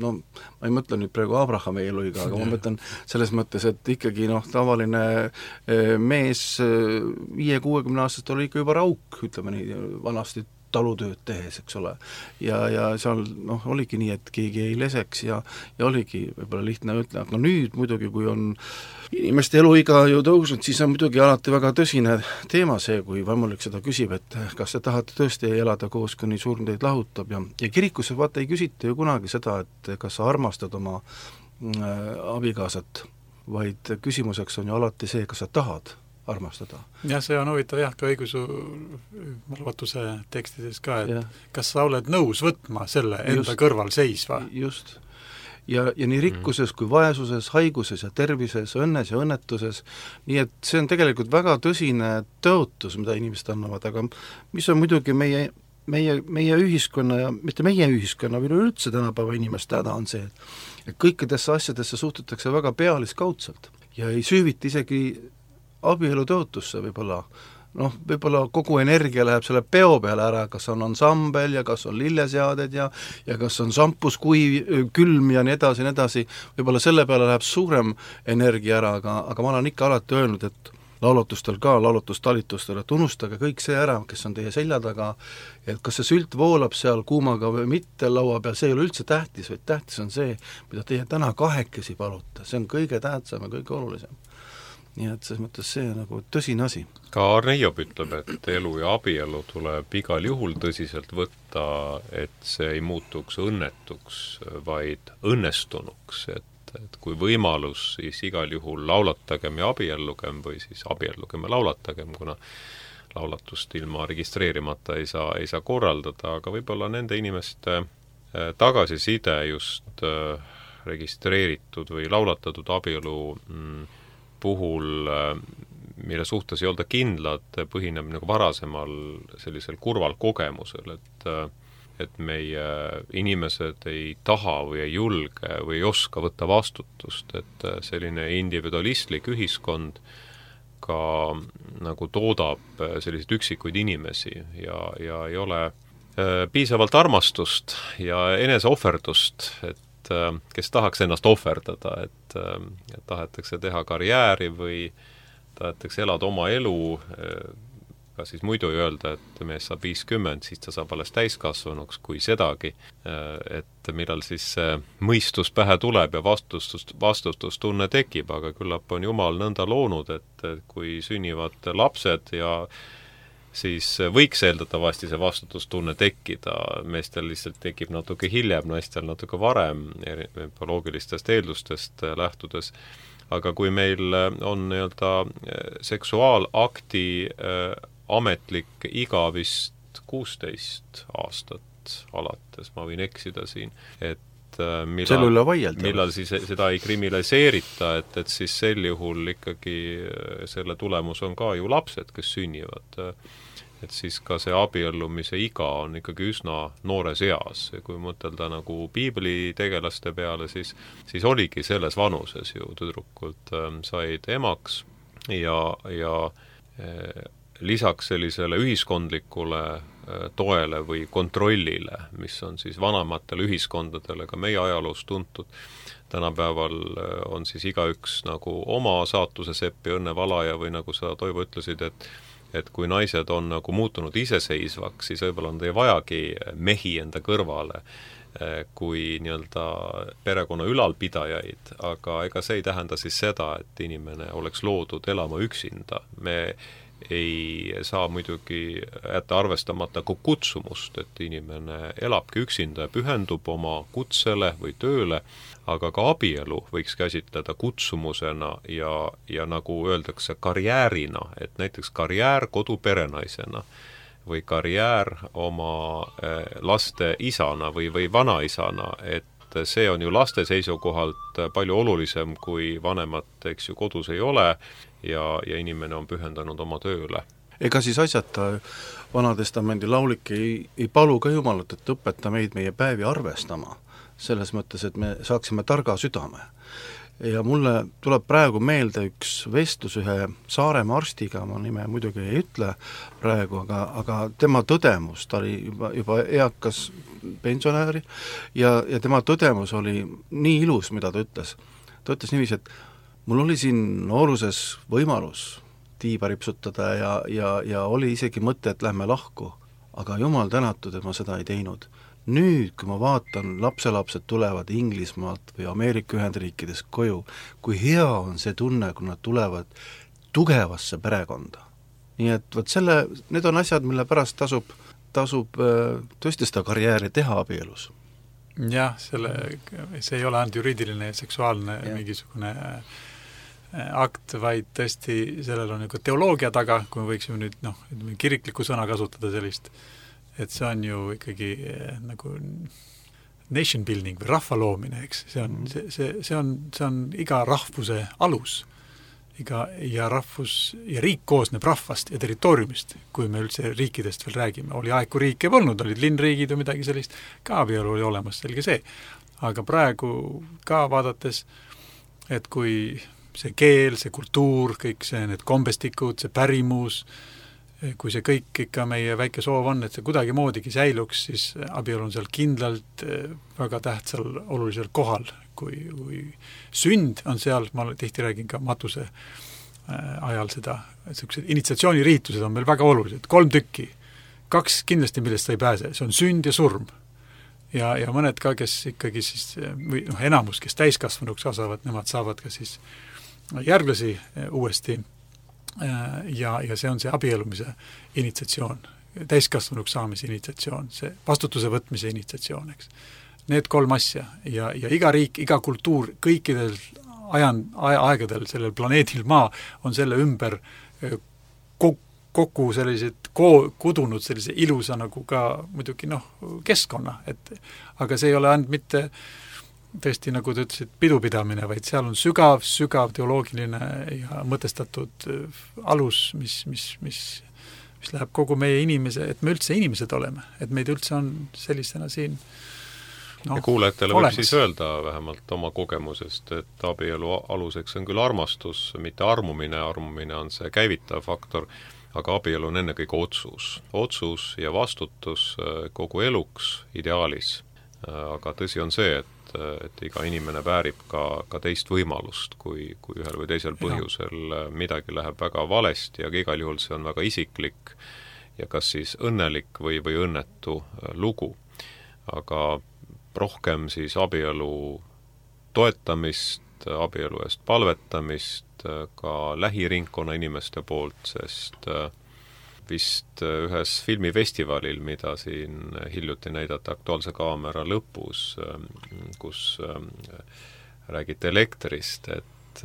no ma ei mõtle nüüd praegu Abrahami eluiga, aga ma mõtlen selles mõttes, et ikkagi noh, tavaline mees viie kuuekümne aastast oli ikka juba rauk, ütleme nii, vanasti talutööd tehes, eks ole. Ja, ja seal noh, oligi nii, et keegi ei leseks ja, ja oligi võib-olla lihtne ütle, aga nüüd muidugi, kui on inimeste eluiga ju tõusnud, siis on muidugi alati väga tõsine teema see, kui vaimulik seda küsib, et kas te tahate tõesti elada koos, kuni surm teid lahutab ja, ja kirikusse vaata ei küsita ju kunagi seda, et kas sa armastad oma äh, abikaasat, vaid küsimuseks on ju alati see, kas sa tahad armastada. jah, see on huvitav jah, ka õigusu marvatuse tekstides ka, et ja. Kas sa oled nõus võtma selle enda just, kõrval seisva? Just. Ja, ja nii rikkuses kui vaesuses, haiguses ja tervises, õnnes ja õnnetuses, nii et see on tegelikult väga tõsine tõotus, mida inimesed annavad, aga mis on muidugi meie, meie, meie ühiskonna ja mitte meie ühiskonna, või üldse tänapäeva inimeste häda on see, et kõikidesse asjadesse suhtutakse väga pealiskaudselt ja ei süüviti isegi abielu tõotusse võib-olla, noh, võib-olla kogu energia läheb selle peo peale ära, kas on ansambel ja kas on lilleseaded ja ja kas on sampus kui külm ja nii edasi, nii edasi, võib-olla selle peale läheb suurem energia ära, aga, aga ma olen ikka alati öelnud, et laulutustel ka, laulutustalitustel, et unustage kõik see ära, kes on teie selja taga, et kas see sült voolab seal kuumaga või mitte laua peal, see ei ole üldse tähtis, vaid tähtis on see, mida teie täna kahekesi palute, see on kõige tähtsam ja kõige olulisem. Nii et selles mõttes see on nagu tõsine asi. Ka Arne Hiop ütleb, et elu ja abielu tuleb igal juhul tõsiselt võtta, et see ei muutuks õnnetuks, vaid õnnestunuks, et, et kui võimalus, siis igal juhul laulatagem ja abiellugem või siis abiellugem ja laulatagem, kuna laulatust ilma registreerimata ei saa, ei saa korraldada, aga võib-olla nende inimeste tagasiside just registreeritud või laulatatud abielu mm, puhul, mille suhtes ei olda kindlad, põhineb nagu varasemal sellisel kurval kogemusel, et, et meie inimesed ei taha või ei julge või ei oska võtta vastutust, et selline individualistlik ühiskond ka nagu toodab selliseid üksikuid inimesi ja, ja ei ole piisavalt armastust ja eneseohverdust, et kes tahaks ennast ohverdada, et, et tahetakse teha karjääri või tahetakse elada oma elu, ka siis muidu ei öelda, et mees saab viiskümmend, siis ta saab alles täiskasvanuks, kui sedagi, et millal siis mõistus pähe tuleb ja vastustust, vastustustunne tekib, aga küllap on Jumal nõnda loonud, et kui sünnivad lapsed ja siis võiks eeldatavasti see vastutustunne tekkida, meestel lihtsalt tekib natuke hiljem, naistel natuke varem, bioloogilistest eeldustest lähtudes, aga kui meil on nii-öelda seksuaalakti äh, ametlik iga vist kuusteist aastat alates, ma võin eksida siin, et millal, millal siis seda ei kriminaliseerita, et, et siis sel juhul ikkagi selle tulemus on ka ju lapsed, kes sünnivad. Et siis ka see abiellumise iga on ikkagi üsna noores eas. Kui mõtelda nagu piibli tegelaste peale, siis, siis oligi selles vanuses ju tüdrukult said emaks ja, ja lisaks sellisele ühiskondlikule toele või kontrollile, mis on siis vanematele ühiskondadele ka meie ajaloos tuntud. Tänapäeval on siis igaüks nagu oma saatuse sepp ja õnnevalaja või nagu sa, Toivo, ütlesid, et et kui naised on nagu muutunud iseseisvaks, siis võib-olla nad ei vajagi mehi enda kõrvale kui nii-öelda perekonna ülalpidajaid, aga ega see ei tähenda siis seda, et inimene oleks loodud elama üksinda. Me ei saa muidugi jätta arvestamata ka kutsumust, et inimene elabki üksinda ja pühendub oma kutsele või tööle, aga ka abielu võiks käsitleda kutsumusena ja, ja nagu öeldakse, karjäärina, et näiteks karjäär koduperenaisena või karjäär oma laste isana või, või vanaisana, et see on ju laste seisukohalt palju olulisem, kui vanemat, eks ju, kodus ei ole ja, ja inimene on pühendanud oma tööle. Ega siis asjata Vanatestamendi laulik ei, ei palu ka Jumalat, et õpeta meid meie päevi arvestama, selles mõttes, et me saaksime targa südame. Ja mulle tuleb praegu meelde üks vestlus ühe Saaremaa arstiga, ma nime muidugi ei ütle praegu, aga, aga tema tõdemus, ta oli juba, juba eakas pensionääri ja, ja tema tõdemus oli nii ilus, mida ta ütles. Ta ütles niiviisi, et mul oli siin nooruses võimalus tiiba ripsutada ja, ja, ja oli isegi mõte, et lähme lahku. aga jumal tänatud, et ma seda ei teinud. Nüüd, kui ma vaatan, lapselapsed tulevad Inglismaalt või Ameerika Ühendriikides koju, kui hea on see tunne, kui nad tulevad tugevasse perekonda. Nii et võt selle, need on asjad, mille pärast tasub, tasub tõesti seda karjääri teha abielus. Jah, selle, see ei ole ainult juriidiline ja seksuaalne ja. mingisugune akt, vaid tõesti sellel on nagu teoloogia taga, kui me võiksime nüüd noh, kirikliku sõna kasutada sellist, et see on ju ikkagi nagu nation building või rahva loomine, eks, see on, see, see, see on, see on iga rahvuse alus. Iga, ja rahvus ja riik koosneb rahvast ja territooriumist, kui me üldse riikidest veel räägime. Oli aeg, kui riike polnud, olid linnriigid või midagi sellist, ka abielu oli olemas, selge see. Aga praegu ka vaadates, et kui see keel, see kultuur, kõik see, need kombestikud, see pärimus, kui see kõik ikka meie väike soov on, et see kuidagi moodigi säiluks, siis abielu on seal kindlalt väga tähtsal olulisel kohal. Kui, kui sünd on seal, ma tihti räägin ka matuse ajal seda, et initsiatsiooniriitused on meil väga olulised, kolm tükki, kaks kindlasti, millest sa ei pääse, see on sünd ja surm. Ja, ja mõned ka, kes ikkagi siis, või noh, enamus, kes täiskasvanuks kasvavad, nemad saavad ka siis järglasi uuesti ja, ja see on see abielumise initsiatsioon, täiskasvanuks saamise initsiatsioon, see vastutuse võtmise initsiatsioon, eks. Need kolm asja ja, ja iga riik, iga kultuur, kõikidel ajan, aegadel sellel planeedil maa on selle ümber kokku sellised ko- kudunud sellise ilusa nagu ka muidugi noh, keskkonna, et aga see ei ole ainult mitte tõesti, nagu te ütlesid, pidupidamine, vaid seal on sügav, sügav teoloogiline ja mõtestatud alus, mis, mis, mis, mis läheb kogu meie inimese, et me üldse inimesed oleme, et meid üldse on sellisena siin no, ja kuulajatele võib siis öelda vähemalt oma kogemusest, et abielu aluseks on küll armastus, mitte armumine, armumine on see käivitav faktor, aga abielu on ennekõike otsus. Otsus ja vastutus kogu eluks ideaalis. Aga tõsi on see, et, et iga inimene väärib ka, ka teist võimalust, kui, kui ühel või teisel põhjusel midagi läheb väga valesti, aga igal juhul see on väga isiklik ja kas siis õnnelik või, või õnnetu lugu. Aga rohkem siis abielu toetamist, abielu eest palvetamist ka lähiringkonna inimeste poolt, sest vist ühes filmifestivalil, mida siin hiljuti näidata Aktuaalse kaamera lõpus, kus räägite elektrist, et,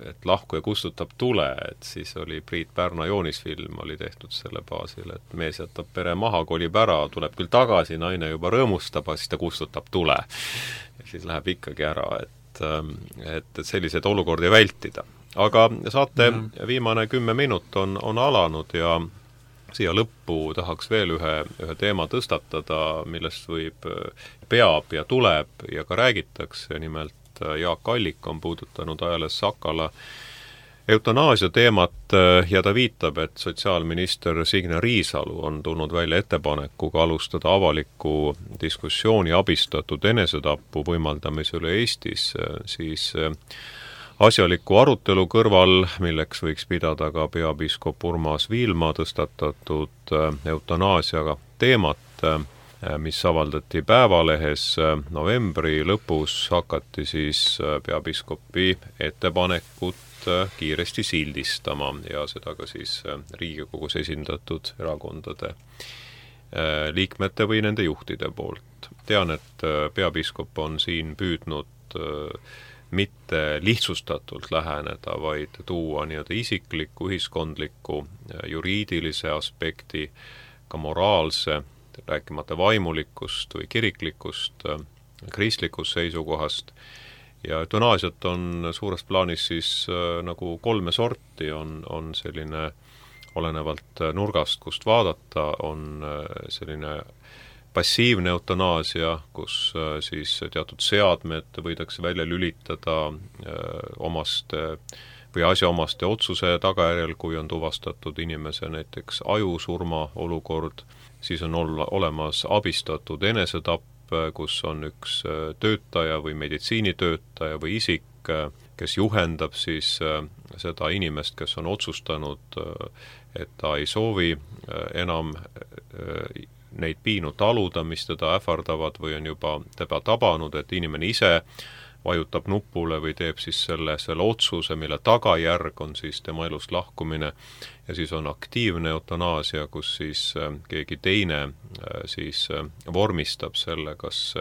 et lahku ja kustutab tule, et siis oli Priit Pärna joonisfilm, oli tehtud selle baasil, et mees jätab pere maha, kolib ära, tuleb küll tagasi, naine juba rõõmustab, siis ta kustutab tule. Ja siis läheb ikkagi ära, et, et sellised olukordi vältida. Aga saate ja. viimane kümme minut on, on alanud ja siia lõppu tahaks veel ühe, ühe teema tõstatada, millest võib, peab ja tuleb ja ka räägitakse, nimelt Jaak Allik on puudutanud ajales Sakala eutanaasia teemat ja ta viitab, et sotsiaalminister Signe Riisalu on tulnud välja ettepanekuga alustada avaliku diskussiooni abistatud enesetapu võimaldamise üle Eestis, siis asjaliku arutelu kõrval, milleks võiks pidada ka peapiiskop Urmas Viilma tõstatatud eutanaasiaga teemat, mis avaldati Päevalehes novembri lõpus, hakati siis peapiiskopi ettepanekut kiiresti sildistama ja seda ka siis Riigikogus esindatud erakondade liikmete või nende juhtide poolt. Tean, et peapiiskop on siin püüdnud mitte lihtsustatult läheneda, vaid tuua nii-öelda isikliku, ühiskondliku, juriidilise aspekti, ka moraalse, rääkimata vaimulikust või kiriklikust, kristlikust seisukohast. Ja eutanaasiat on suures plaanis siis nagu kolme sorti, on, on selline olenevalt nurgast, kust vaadata, on selline passiivne eutanaasia, kus siis teatud seadmed võidakse välja lülitada omaste või asjaomaste otsuse tagajärjel, kui on tuvastatud inimese näiteks ajusurma olukord, siis on olla, olemas abistatud enesetapp, kus on üks töötaja või meditsiinitöötaja või isik, kes juhendab siis seda inimest, kes on otsustanud, et ta ei soovi enam neid piinu taluda, mis teda ähvardavad või on juba teda tabanud, et inimene ise vajutab nupule või teeb siis selle, selle otsuse, mille tagajärg on siis tema elust lahkumine, ja siis on aktiivne eutanaasia, kus siis keegi teine siis vormistab selle, kas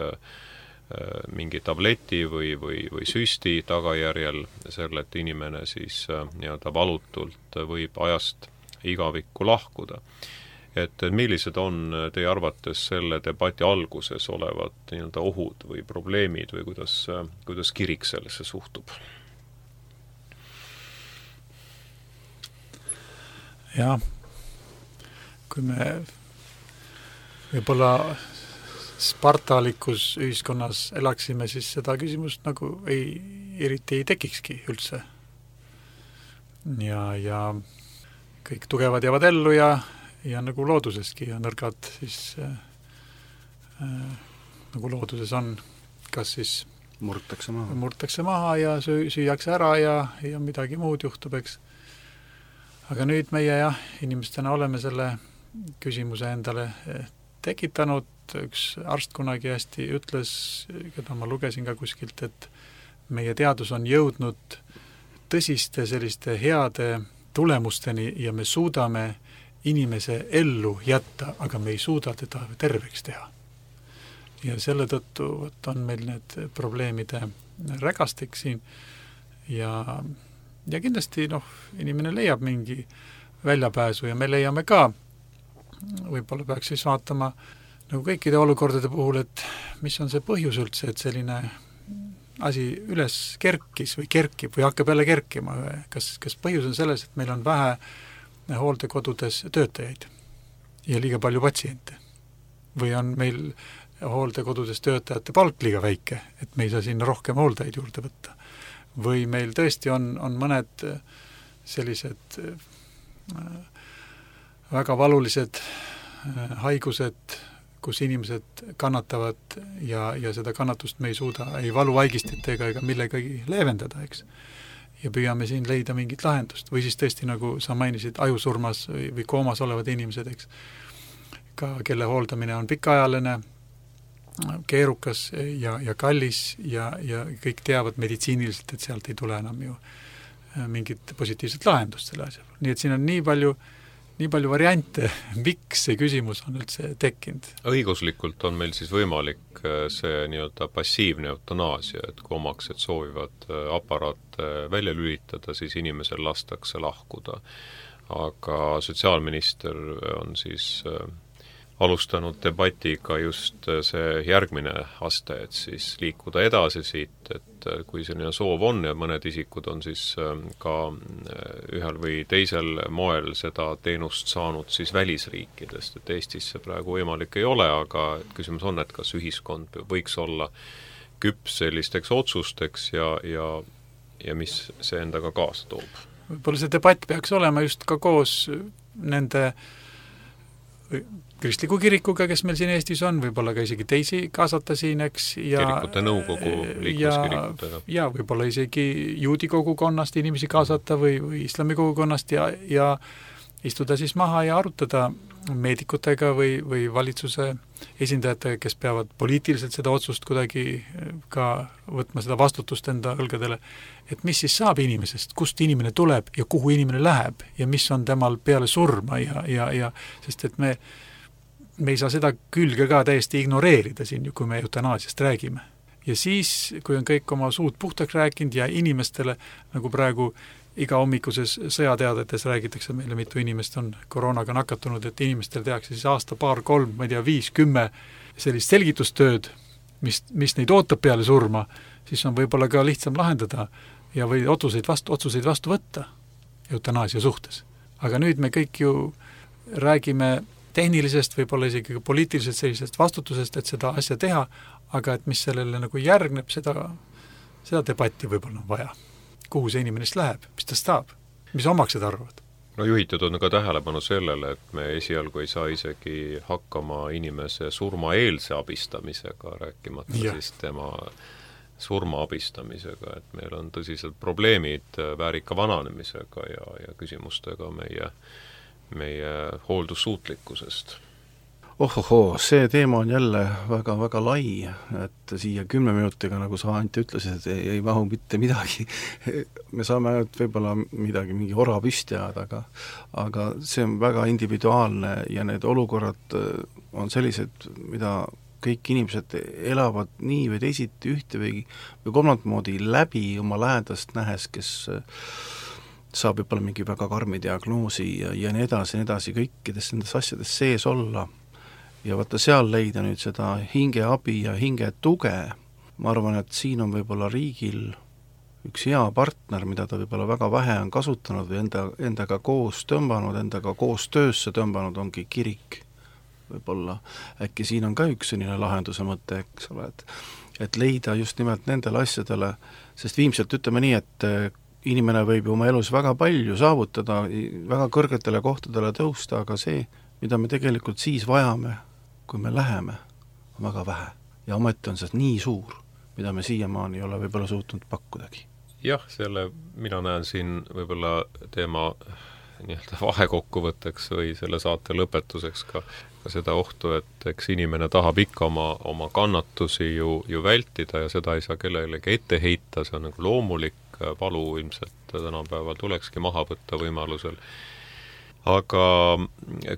mingi tableti või, või, või süsti tagajärjel selle, et inimene siis nii-öelda valutult võib ajast igavikku lahkuda. Et millised on teie arvates selle debati alguses olevad nii-öelda ohud või probleemid või kuidas, kuidas kirik sellesse suhtub? Jah, kui me võib-olla spartalikus ühiskonnas elaksime, siis seda küsimust nagu ei, eriti ei tekikski üldse. Ja, ja kõik tugevad jäävad ellu ja ja nagu looduseski ja nõrgad siis äh, äh, nagu looduses on, kas siis murtakse maha, murtakse maha ja süü, süüakse ära ja, ja midagi muud juhtub, eks. Aga nüüd meie jah, inimestena oleme selle küsimuse endale tekitanud, üks arst kunagi hästi ütles, keda ma lugesin ka kuskilt, et meie teadus on jõudnud tõsiste selliste heade tulemusteni ja me suudame inimese ellu jätta, aga me ei suuda teda terveks teha. Ja selle tõttu võt, on meil need probleemide rägastik siin ja, ja kindlasti noh, inimene leiab mingi väljapääsu ja me leiame ka, võib-olla peaks siis vaatama nagu kõikide olukordade puhul, et mis on see põhjus üldse, et selline asi üles kerkis või kerkib või hakkab jälle kerkima. Kas, kas põhjus on selles, et meil on vähe hooldekodudes töötajaid ja liiga palju patsiente? Või on meil hooldekodudes töötajate palk liiga väike, et me ei saa sinna rohkem hooldajaid juurde võtta? Või meil tõesti on, on mõned sellised väga valulised haigused, kus inimesed kannatavad ja, ja seda kannatust me ei suuda ei valuvaigistitega ega millegagi leevendada, eks? Ja püüame siin leida mingit lahendust. Või siis tõesti, nagu sa mainisid, ajusurmas või, või koomas olevad inimesed, eks, ka kelle hooldamine on pikaajaline, keerukas ja, ja kallis ja, ja kõik teavad meditsiiniliselt, et sealt ei tule enam ju mingit positiivset lahendust selle asja. Nii et siin on nii palju, nii palju variante, miks see küsimus on üldse tekkinud. Õiguslikult on meil siis võimalik see nii-öelda passiivne eutanaasia, et kui omaksed soovivad aparaat välja lülitada, siis inimesel lastakse lahkuda. Aga sotsiaalminister on siis alustanud debatiga just see järgmine aste, et siis liikuda edasi siit, et kui selline soov on ja mõned isikud on siis ka ühel või teisel moel seda teenust saanud siis välisriikidest, et Eestis see praegu võimalik ei ole, aga küsimus on, et kas ühiskond võiks olla küps sellisteks otsusteks ja, ja, ja mis see endaga kaasa toob. Võib-olla see debatt peaks olema just ka koos nende kristliku kirikuga, kes meil siin Eestis on, võib-olla ka isegi teisi kaasata siin, eks, ja kirikute nõukogu liikluskirikutega. Ja, ja võib-olla isegi juudi kogukonnast inimesi kaasata või, või islami kogukonnast ja, ja istuda siis maha ja arutada meedikutega või, või valitsuse esindajatega, kes peavad poliitiliselt seda otsust kuidagi ka võtma seda vastutust enda õlgadele, et mis siis saab inimesest, kust inimene tuleb ja kuhu inimene läheb ja mis on temal peale surma ja, ja, ja sest et me me ei saa seda külge ka täiesti ignoreerida siin, kui me eutanaasiast räägime. Ja siis, kui on kõik oma suud puhtaks rääkinud ja inimestele, nagu praegu iga hommikuses sõjateadetes räägitakse meile, mitu inimest on koroonaga nakatunud, et inimestel tehakse siis aasta, paar, kolm, ma ei tea, viis, kümme sellist selgitustööd, mis, mis neid ootab peale surma, siis on võib-olla ka lihtsam lahendada ja või otsuseid vastu, otsuseid vastu võtta eutanaasia suhtes. Aga nüüd me kõik ju räägime tehnilisest, võib-olla isegi poliitilisest sellisest vastutusest, et seda asja teha, aga et mis sellele nagu järgneb, seda, seda debatti võib-olla on vaja. Kuhu see inimenest läheb, mis ta saab, mis omaksed arvavad? No juhitud on ka tähelepanu sellele, et me esialgu ei saa isegi hakkama inimese surmaeelse abistamisega, rääkimata ja. Siis tema surma abistamisega, et meil on tõsised probleemid väärika vananemisega ja, ja küsimustega meie, meie hooldussuutlikkusest. Ohohoo, see teema on jälle väga-väga lai, et siia kümne minutiga, nagu sa Anti ütlesid, ei, ei mahu mitte midagi. Me saame ainult võib-olla midagi, mingi ora püsti ajada, aga, aga see on väga individuaalne ja need olukorrad on sellised, mida kõik inimesed elavad nii või teisiti ühte või, või kolmandat moodi läbi oma lähedast nähes, kes saab võib-olla mingi väga karmi diagnoosi ja, ja nii edasi, nii edasi, kõikides nendes asjades sees olla. Ja vaata seal leida nüüd seda hingeabi ja hinge tuge, ma arvan, et siin on võib-olla riigil üks hea partner, mida ta võib-olla väga vähe on kasutanud või enda, endaga koos tõmbanud, endaga koos töösse tõmbanud, ongi kirik võib-olla. Äkki siin on ka üks selline lahenduse mõte, eks ole, et, et leida just nimelt nendele asjadele, sest viimselt ütleme nii, et inimene võib ju oma elus väga palju saavutada, väga kõrgetele kohtadele tõusta, aga see, mida me tegelikult siis vajame, kui me läheme, on väga vähe. Ja ometi on see nii suur, mida me siiamaani ei ole võib-olla suutnud pakkudagi. Jah, selle mina näen siin võib-olla teema nii-öelda vahekokkuvõtteks või selle saate lõpetuseks ka, ka seda ohtu, et eks inimene tahab ikka oma, oma kannatusi ju, ju vältida ja seda ei saa kellelegi ette heita, see on nagu loomulik, valu ilmselt tänapäeval tulekski maha võtta võimalusel. Aga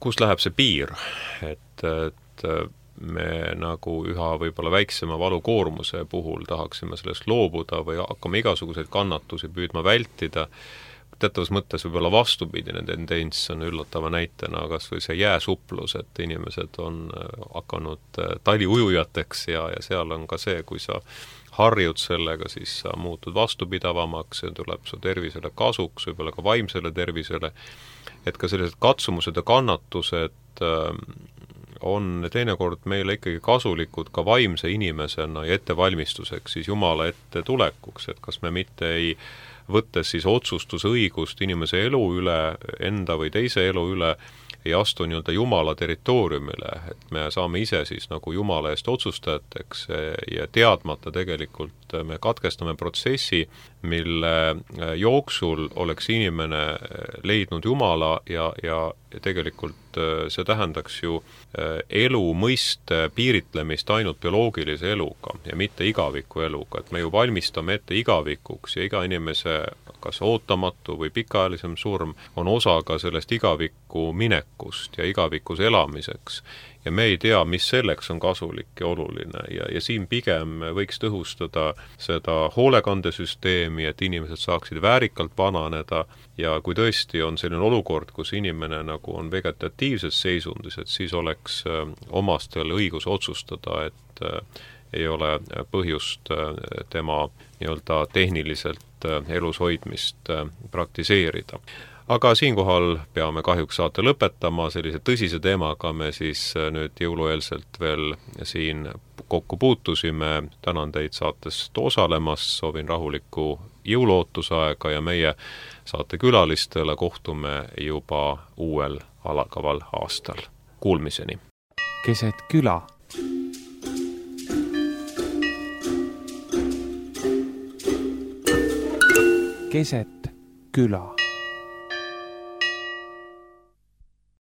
kus läheb see piir, et, et me nagu üha võib-olla väiksema valukoormuse puhul tahaksime sellest loobuda või hakkame igasuguseid kannatusi püüdma vältida. Teatavas mõttes võib-olla vastupidine tendents on üllatava näitena kas või see jääsuplus, et inimesed on hakanud taliujujateks ja, ja seal on ka see, kui sa harjud sellega, siis sa muutud vastupidavamaks, see tuleb su tervisele kasuks, võib-olla ka vaimsele tervisele, et ka sellised katsumused ja kannatused on teinekord meile ikkagi kasulikud ka vaimse inimesena ja ettevalmistuseks siis Jumala ette tulekuks, et kas me mitte ei võttes siis otsustusõigust inimese elu üle, enda või teise elu üle, ei astu nii-öelda Jumala territooriumile, et me saame ise siis nagu Jumala eest otsustajateks ja teadmata tegelikult me katkestame protsessi, mille jooksul oleks inimene leidnud Jumala ja, ja tegelikult see tähendaks ju elu mõiste piiritlemist ainult bioloogilise eluga ja mitte igaviku eluga, et me ju valmistame ette igavikuks ja iga inimese kas ootamatu või pikaajalisem surm on osa ka sellest igaviku minekust ja igavikus elamiseks. Ja me ei tea, mis selleks on kasulik ja oluline ja, ja siin pigem võiks tõhustada seda hoolekandesüsteemi, et inimesed saaksid väärikalt vananeda ja kui tõesti on selline olukord, kus inimene nagu on vegetatiivses seisundis, et siis oleks omastel õigus otsustada, et ei ole põhjust tema nii-öelda tehniliselt elus hoidmist praktiseerida. Aga siinkohal peame kahjuks saate lõpetama, sellise tõsise teemaga me siis nüüd jõulueelselt veel siin kokku puutusime. Tänan teid saatest osalemas, soovin rahulikku jõuluootusaega ja meie saate külalistele kohtume juba uuel alagaval aastal. Kuulmiseni! Keset küla. Keset küla.